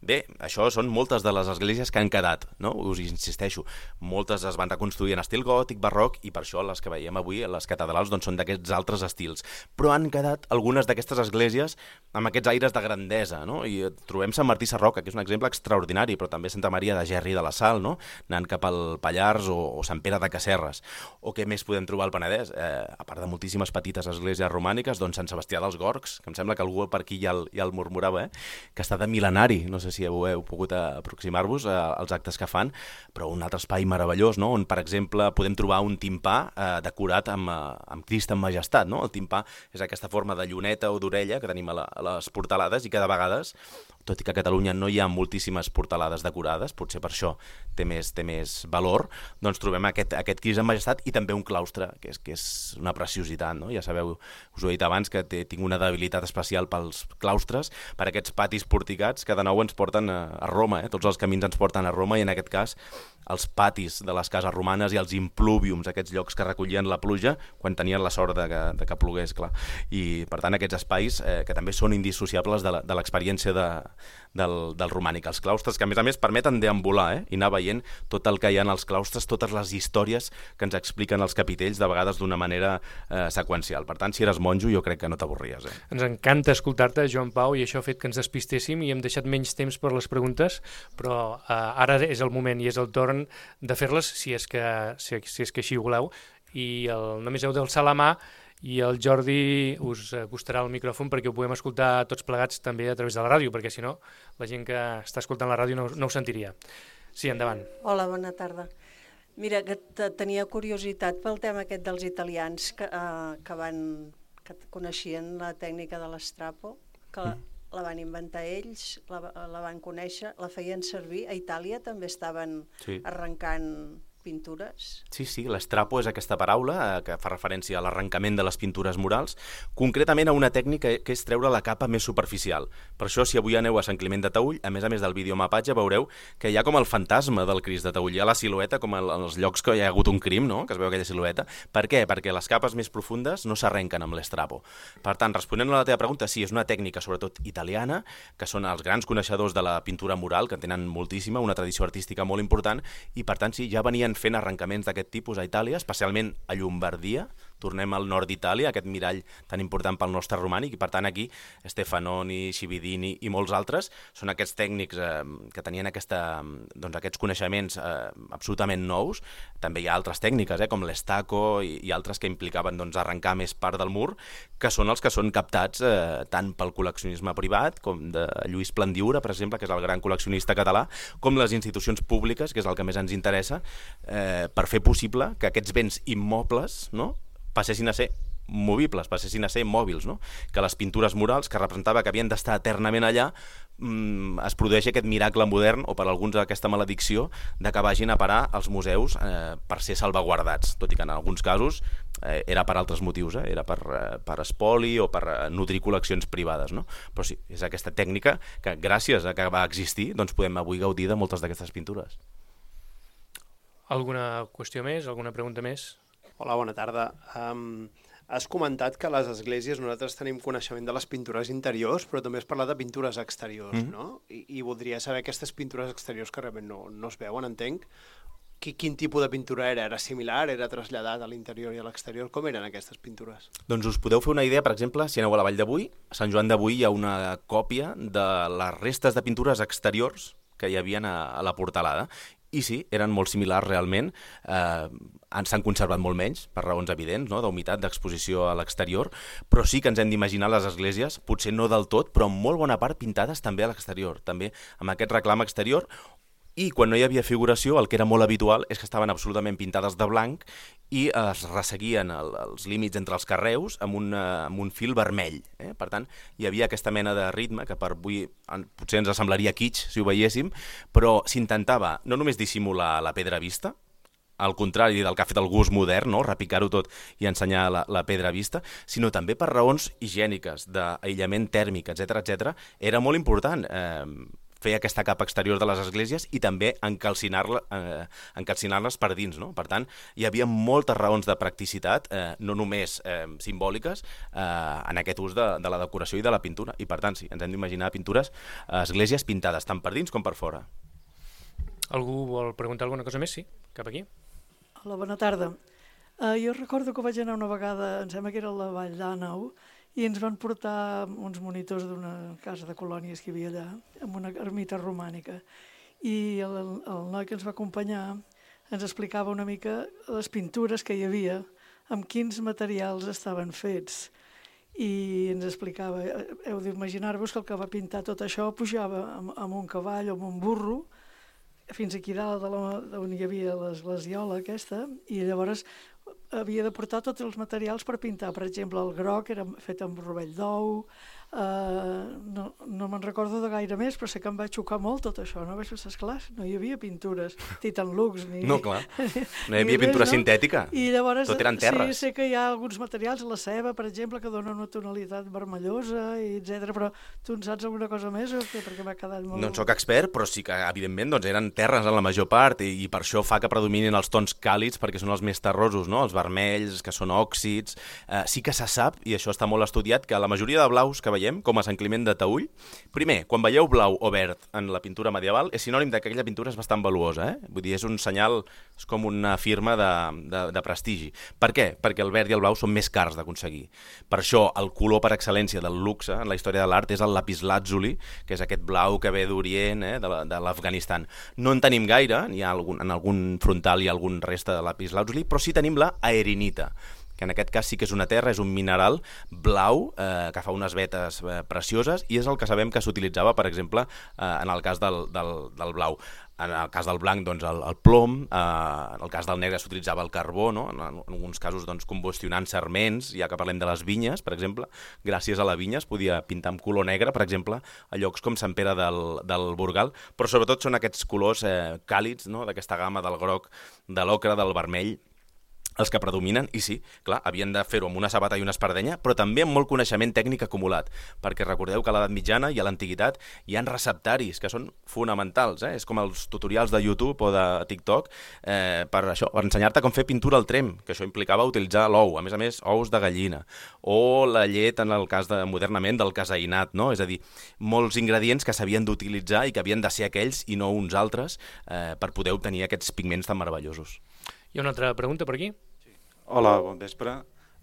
S2: Bé, això són moltes de les esglésies que han quedat, no? Us insisteixo, moltes es van reconstruir en estil gòtic, barroc, i per això les que veiem avui, les catedrals, doncs són d'aquests altres estils. Però han quedat algunes d'aquestes esglésies amb aquests aires de grandesa, no? I trobem Sant Martí Sarroca, que és un exemple extraordinari, però també Santa Maria de Gerri de la Sal, no? Anant cap al Pallars o Sant Pere de Casserres. O què més podem trobar al Penedès? A part de moltíssimes petites esglésies romàniques, doncs Sant Sebastià dels Gorgs, que em sembla que algú per aquí ja el murmurava, que està de mil·lenari, no sé si heu pogut aproximar-vos als actes que fan, però un altre espai meravellós, no? On, per exemple, podem trobar un timpà decorat amb Crist en majestat, no? El timpà és aquesta forma de lluneta o d'orella que tenim a les portalades i que de vegades, tot i que a Catalunya no hi ha moltíssimes portalades decorades, potser per això té més valor, doncs trobem aquest Crist en majestat i també un claustre, que és una preciositat, no? Ja sabeu, us ho he dit abans, que tinc una debilitat especial pels claustres, per aquests patis porticats que de nou ens porten a Roma, tots els camins ens porten a Roma, i en aquest cas els patis de les cases romanes i els impluviums, aquests llocs que recollien la pluja quan tenien la sort de que plogués, clar. I per tant aquests espais que també són indissociables de l'experiència del romànic. Els claustres que a més permeten deambular i anar veient tot el que hi ha en els claustres, totes les històries que ens expliquen els capitells, de vegades d'una manera seqüencial. Per tant, si eres monjo jo crec que no t'avorries.
S1: Ens encanta escoltar-te, Joan Pau, i això ha fet que ens despistéssim i hem deixat menys temps per les preguntes, però ara és el moment i és el torn de fer-les si és que així ho voleu. i el Només heu d'alçar la mà, i el Jordi us acostarà el micròfon perquè ho puguem escoltar tots plegats també a través de la ràdio, perquè si no la gent que està escoltant la ràdio no ho sentiria. Sí, endavant.
S3: Hola, bona tarda. Mira, que tenia curiositat pel tema aquest dels italians que coneixien la tècnica de l'estrapo, que la van inventar ells, la van conèixer, la feien servir. A Itàlia també estaven arrencant pintures.
S2: Sí, l'estrapo és aquesta paraula que fa referència a l'arrencament de les pintures murals, concretament a una tècnica que és treure la capa més superficial. Per això, si avui aneu a Sant Climent de Taüll, a més del videomapatge, veureu que hi ha com el fantasma del Crist de Taüll. Hi ha la silueta, com en els llocs que hi ha hagut un crim, no?, que es veu aquella silueta. Per què? Perquè les capes més profundes no s'arrenquen amb l'estrapo. Per tant, responent a la teva pregunta, sí, és una tècnica sobretot italiana, que són els grans coneixedors de la pintura mural, que tenen moltíssima, una tradició artística molt important, i per tant, sí, ja venien fent arrencaments d'aquest tipus a Itàlia, especialment a Llombardia. Tornem al nord d'Itàlia, aquest mirall tan important pel nostre romànic, i per tant aquí Stefanoni, Cividini i molts altres són aquests tècnics que tenien aquests coneixements absolutament nous. També hi ha altres tècniques, com l'estaco i altres que implicaven arrencar més part del mur, que són els que són captats tant pel col·leccionisme privat, com de Lluís Plandiura, per exemple, que és el gran col·leccionista català, com les institucions públiques, que és el que més ens interessa, per fer possible que aquests béns immobles, no?, passessin a ser movibles, passessin a ser mòbils, no? Que les pintures murals, que representava que havien d'estar eternament allà, es produeix aquest miracle modern, o per alguns aquesta maledicció, de que vagin a parar als museus per ser salvaguardats, tot i que en alguns casos era per altres motius, era per espoli o per nutrir col·leccions privades, no? Però sí, és aquesta tècnica que gràcies a que va existir doncs podem avui gaudir de moltes d'aquestes pintures.
S1: Alguna qüestió més? Alguna pregunta més?
S4: Hola, bona tarda. Has comentat que a les esglésies nosaltres tenim coneixement de les pintures interiors, però també has parlat de pintures exteriors, no? I voldria saber aquestes pintures exteriors que realment no es veuen, entenc. Quin tipus de pintura era? Era similar? Era traslladat a l'interior i a l'exterior? Com eren aquestes pintures?
S2: Doncs us podeu fer una idea, per exemple, si aneu a la Vall de Boí, a Sant Joan de Boí hi ha una còpia de les restes de pintures exteriors que hi havia a la portalada. I sí, eren molt similars realment, s'han conservat molt menys, per raons evidents, no?, d'humitat, d'exposició a l'exterior, però sí que ens hem d'imaginar les esglésies, potser no del tot, però en molt bona part pintades també a l'exterior, també amb aquest reclam exterior, i quan no hi havia figuració el que era molt habitual és que estaven absolutament pintades de blanc i es resseguien els límits entre els carreus amb un fil vermell. Per tant, hi havia aquesta mena de ritme que per avui potser ens semblaria kitsch si ho veiéssim, però s'intentava no només dissimular la pedra vista, al contrari del que ha fet el gust modern, no?, repicar-ho tot i ensenyar la pedra vista, sinó també per raons higièniques, d'aïllament tèrmic, etc. Era molt important fer aquesta capa exterior de les esglésies i també encalcinar-les per dins, no? Per tant, hi havia moltes raons de practicitat, no només simbòliques, en aquest ús de la decoració i de la pintura. I per tant, sí, ens hem d'imaginar pintures a esglésies pintades tant per dins com per fora.
S1: Algú vol preguntar alguna cosa més? Sí, cap aquí.
S5: Hola, bona tarda. Jo recordo que vaig anar una vegada, em sembla que era a la Vall d'Àneu, i ens van portar uns monitors d'una casa de colònies que hi havia allà, amb una ermita romànica. I el noi que ens va acompanyar ens explicava una mica les pintures que hi havia, amb quins materials estaven fets. I ens explicava, heu d'imaginar-vos que el que va pintar tot això pujava amb un cavall o amb un burro, fins aquí dalt on hi havia l'esglesiola aquesta, i llavors havia de portar tots els materials per pintar. Per exemple, el groc era fet amb rovell d'ou, no me'n recordo de gaire més, però sé que em va xocar molt tot això, no? Vaig pensar, esclar, no hi havia pintures, Titan Lux,
S2: no, clar, no hi havia pintura sintètica,
S5: i llavors,
S2: tot eren terres.
S5: Sí, sé que hi ha alguns materials, la ceba, per exemple, que dona una tonalitat vermellosa, etc. Però tu en saps alguna cosa més o què? Perquè m'ha quedat molt...
S2: No en soc expert, però sí que, evidentment, doncs, eren terres en la major part i per això fa que predominin els tons càlids, perquè són els més terrosos, no? Els vermells, que són òxids. Sí que se sap, i això està molt estudiat, que la majoria de blaus que veiem, com a Sant Climent de Taüll, primer, quan veieu blau o verd en la pintura medieval, és sinònim que aquella pintura és bastant valuosa, Vull dir, és un senyal, és com una firma de prestigi. Per què? Perquè el verd i el blau són més cars d'aconseguir. Per això, el color per excel·lència del luxe en la història de l'art és el lapislàtzuli, que és aquest blau que ve d'Orient, de l'Afganistan. No en tenim gaire, en algun frontal hi ha algun resta de lapislàtzuli, però sí tenim la aerinita, que en aquest cas sí que és una terra, és un mineral blau que fa unes vetes precioses i és el que sabem que s'utilitzava, per exemple, en el cas del blau. En el cas del blanc, doncs, el plom, en el cas del negre s'utilitzava el carbó, no? En alguns casos doncs, combustionant sarments, ja que parlem de les vinyes, per exemple, gràcies a la vinya es podia pintar amb color negre, per exemple, a llocs com Sant Pere del Burgal, però sobretot són aquests colors càlids, no? D'aquesta gamma del groc, de l'ocre, del vermell, els que predominen, i sí, clar, havien de fer-ho amb una sabata i una espardenya, però també amb molt coneixement tècnic acumulat, perquè recordeu que a l'edat mitjana i a l'antiguitat hi ha receptaris que són fonamentals, és com els tutorials de YouTube o de TikTok, per ensenyar-te com fer pintura al tremp, que això implicava utilitzar l'ou, a més, ous de gallina, o la llet, en el cas modernament, del caseïnat, no? És a dir, molts ingredients que s'havien d'utilitzar i que havien de ser aquells i no uns altres per poder obtenir aquests pigments tan meravellosos.
S1: Hi ha una altra pregunta per aquí?
S6: Hola, bon vespre.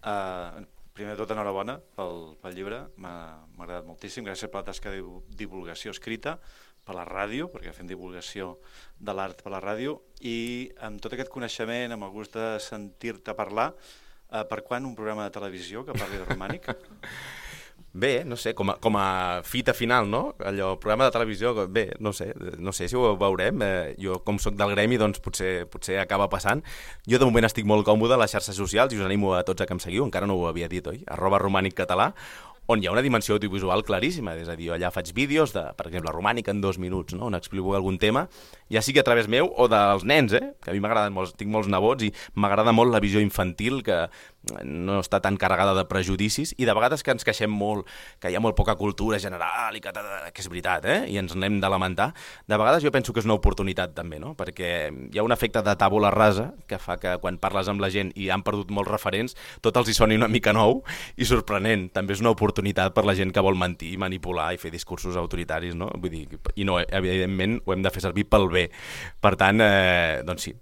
S6: Primer de tot, enhorabona pel llibre. M'ha agradat moltíssim. Gràcies per la tasca de divulgació escrita, per la ràdio, perquè fem divulgació de l'art per la ràdio, i amb tot aquest coneixement, amb el gust de sentir-te parlar, per quan un programa de televisió que parli de romànic?
S2: Bé, no sé, com a fita final, no? Allò, programa de televisió, bé, no sé si ho veurem. Jo, com soc del gremi, doncs potser acaba passant. Jo, de moment, estic molt còmode a les xarxes socials i us animo a tots a que em seguiu, encara no ho havia dit, oi? @romàniccatalà, on hi ha una dimensió audiovisual claríssima, és a dir, allà faig vídeos de, per exemple, romànica en 2 minuts, no? On explico algun tema, ja sigui a través meu o dels nens, que a mi m'agraden molt, tinc molts nebots i m'agrada molt la visió infantil, que no està tan carregada de prejudicis, i de vegades que ens queixem molt, que hi ha molt poca cultura general, i que és veritat, i ens n'hem de lamentar. De vegades jo penso que és una oportunitat també, no? Perquè hi ha un efecte de tàbula rasa que fa que quan parles amb la gent i han perdut molts referents, tot els hi soni una mica nou i sorprenent. També és una oportunitat per la gent que vol mentir, manipular i fer discursos autoritaris, no? Vull dir, i no, evidentment ho hem de fer servir pel bé. Per tant, doncs sí,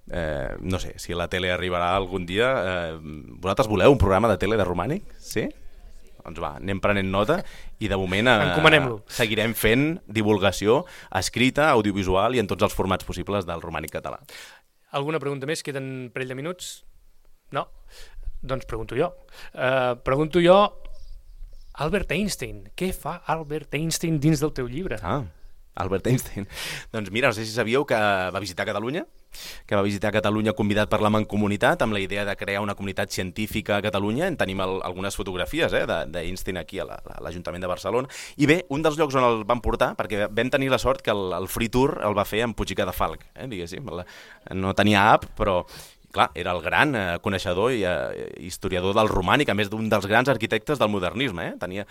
S2: no sé, si la tele arribarà algun dia, vosaltres voleu un programa de tele de romànic? Sí? Doncs va, anem prenent nota i de moment seguirem fent divulgació escrita, audiovisual i en tots els formats possibles del romànic català.
S1: Alguna pregunta més? Queden un parell de minuts? No? Doncs pregunto jo. Albert Einstein. Què fa Albert Einstein dins del teu llibre?
S2: Albert Einstein. Doncs mira, no sé si sabíeu que va visitar Catalunya, convidat per la Mancomunitat amb la idea de crear una comunitat científica a Catalunya. En tenim algunes fotografies d'Einstein aquí a l'Ajuntament de Barcelona. I bé, un dels llocs on el van portar, perquè vam tenir la sort que el Free Tour el va fer amb Puig i Cadafalch, diguéssim. No tenia app, però clar, era el gran coneixedor i historiador del romànic, a més d'un dels grans arquitectes del modernisme. Tenia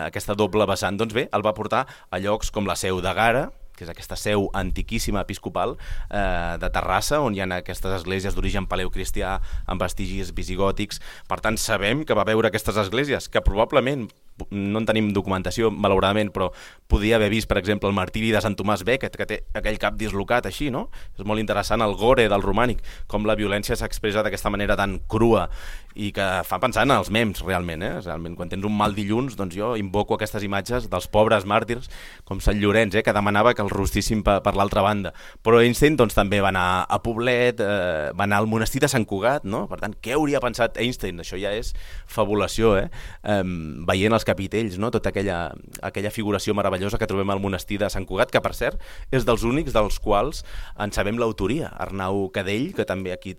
S2: aquesta doble vessant. Doncs bé, el va portar a llocs com la Seu d'Egara, que és aquesta seu antiquíssima episcopal de Terrassa, on hi ha aquestes esglésies d'origen paleocristià amb vestigis visigòtics. Per tant, sabem que va veure aquestes esglésies, que probablement, no en tenim documentació, malauradament, però podia haver vist, per exemple, el martiri de Sant Tomàs Becket, que té aquell cap dislocat així, no? És molt interessant el gore del romànic, com la violència s'expressa d'aquesta manera tan crua i que fa pensar en els mems, realment. Realment, quan tens un mal dilluns, doncs jo invoco aquestes imatges dels pobres màrtirs, com Sant Llorenç, que demanava que el rostissin per l'altra banda. Però Einstein doncs, també va anar a Poblet, va anar al monestir de Sant Cugat, no? Per tant, què hauria pensat Einstein? Això ja és fabulació, veient els capitells, no? Tota aquella figuració meravellosa que trobem al monestir de Sant Cugat, que per cert és dels únics dels quals en sabem l'autoria. Arnau Cadell, que també aquí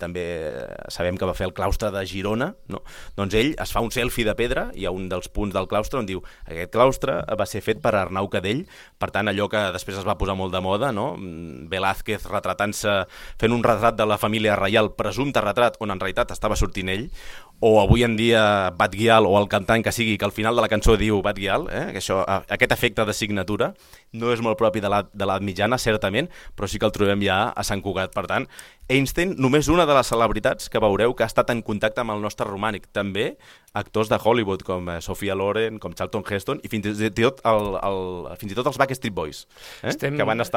S2: sabem que va fer el claustre de Girona, no? Doncs ell es fa un selfie de pedra, hi ha un dels punts del claustre on diu aquest claustre va ser fet per Arnau Cadell. Per tant, allò que després es va posar molt de moda, no? Velázquez retratant-se, fent un retrat de la família reial, presumpte retrat on en realitat estava sortint ell, o avui en dia Batguial o el cantant que sigui, que al final de la cançó diu Batguial, que aquest efecte de signatura no és molt propi de l'edat mitjana, certament, però sí que el trobem ja a Sant Cugat. Per tant, Einstein, només una de les celebritats que veureu que ha estat en contacte amb el nostre romànic. També actors de Hollywood com Sophia Loren, com Charlton Heston i fins i tot els Backstreet Boys, que van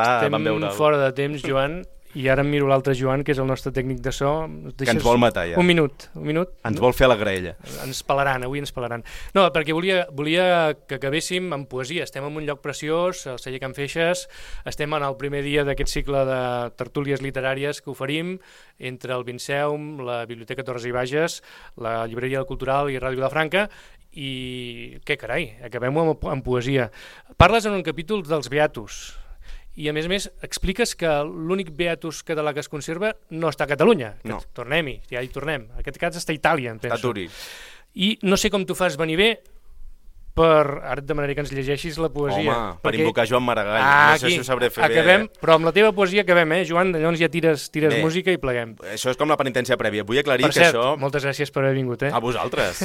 S2: veure...
S1: Estem fora de temps, Joan, I ara em miro l'altre Joan, que és el nostre tècnic de so.
S2: Que ens vol matar, ja.
S1: Un minut.
S2: Ens vol fer la graella.
S1: Ens pelaran, avui ens pelaran. No, perquè volia que acabéssim amb poesia. Estem en un lloc preciós, al celler Can Feixes, estem en el primer dia d'aquest cicle de tertúlies literàries que oferim entre el Vinceum, la Biblioteca Torres i Bages, la Llibreria Cultural i Ràdio Vilafranca, i què carai, acabem-ho amb poesia. Parles en un capítol dels Beatus, i a més expliques que l'únic Beatus català que es conserva no està a Catalunya.
S2: No.
S1: Tornem-hi, ja hi tornem. Aquest cas està a Itàlia, em penso.
S2: Està a Turí.
S1: I no sé com t'ho fas venir bé, ara et demanaré que ens llegeixis la poesia.
S2: Home, per invocar Joan Maragall. No sé si ho sabré fer
S1: acabem,
S2: bé.
S1: Però amb la teva poesia acabem, Joan? Llavors ja tires
S2: bé,
S1: música i pleguem.
S2: Això és com la penitència prèvia. Vull aclarir
S1: per
S2: que
S1: cert,
S2: això...
S1: moltes gràcies per haver vingut.
S2: A vosaltres.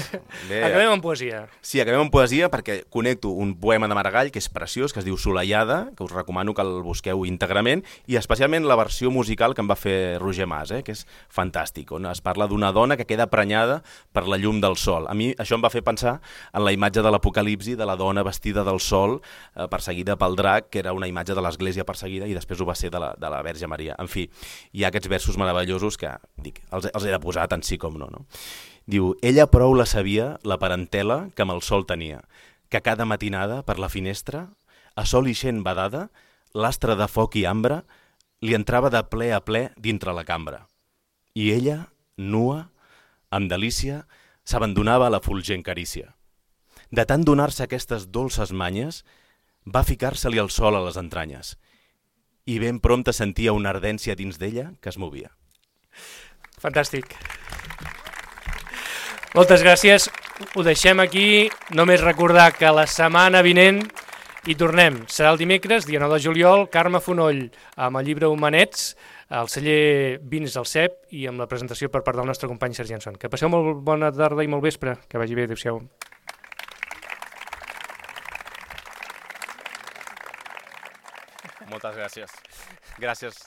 S2: Bé.
S1: Acabem amb poesia.
S2: Sí, acabem amb poesia perquè connecto un poema de Maragall que és preciós, que es diu Solellada, que us recomano que el busqueu íntegrament, i especialment la versió musical que em va fer Roger Mas, que és fantàstic, on es parla d'una dona que queda prenyada per la llum del sol. A mi això em va fer pensar en la imatge de l'Apocalipsi de la dona vestida del sol, perseguida pel drac, que era una imatge de l'església perseguida i després ho va ser de la Verge Maria. En fi, hi ha aquests versos meravellosos que dic, els he de posar tant sí com no. Diu, ella prou la sabia, la parentela, que amb el sol tenia, que cada matinada per la finestra, a sol ixent badada, l'astre de foc i ambre li entrava de ple a ple dintre la cambra. I ella, nua, amb delícia, s'abandonava a la fulgent carícia. De tant donar-se aquestes dolces manyes, va ficar-se-li el sol a les entranyes i ben prompte sentia una ardència dins d'ella que es movia.
S1: Fantàstic. Moltes gràcies. Ho deixem aquí. Només recordar que la setmana vinent hi tornem. Serà el dimecres, dia 9 de juliol, Carme Fonoll amb el llibre Humanets, al celler Vins del CEP i amb la presentació per part del nostre company Sergi Anson. Que passeu molt bona tarda i molt vespre. Que vagi bé. Adéu-siau.
S2: Moltes gràcies. Gràcies.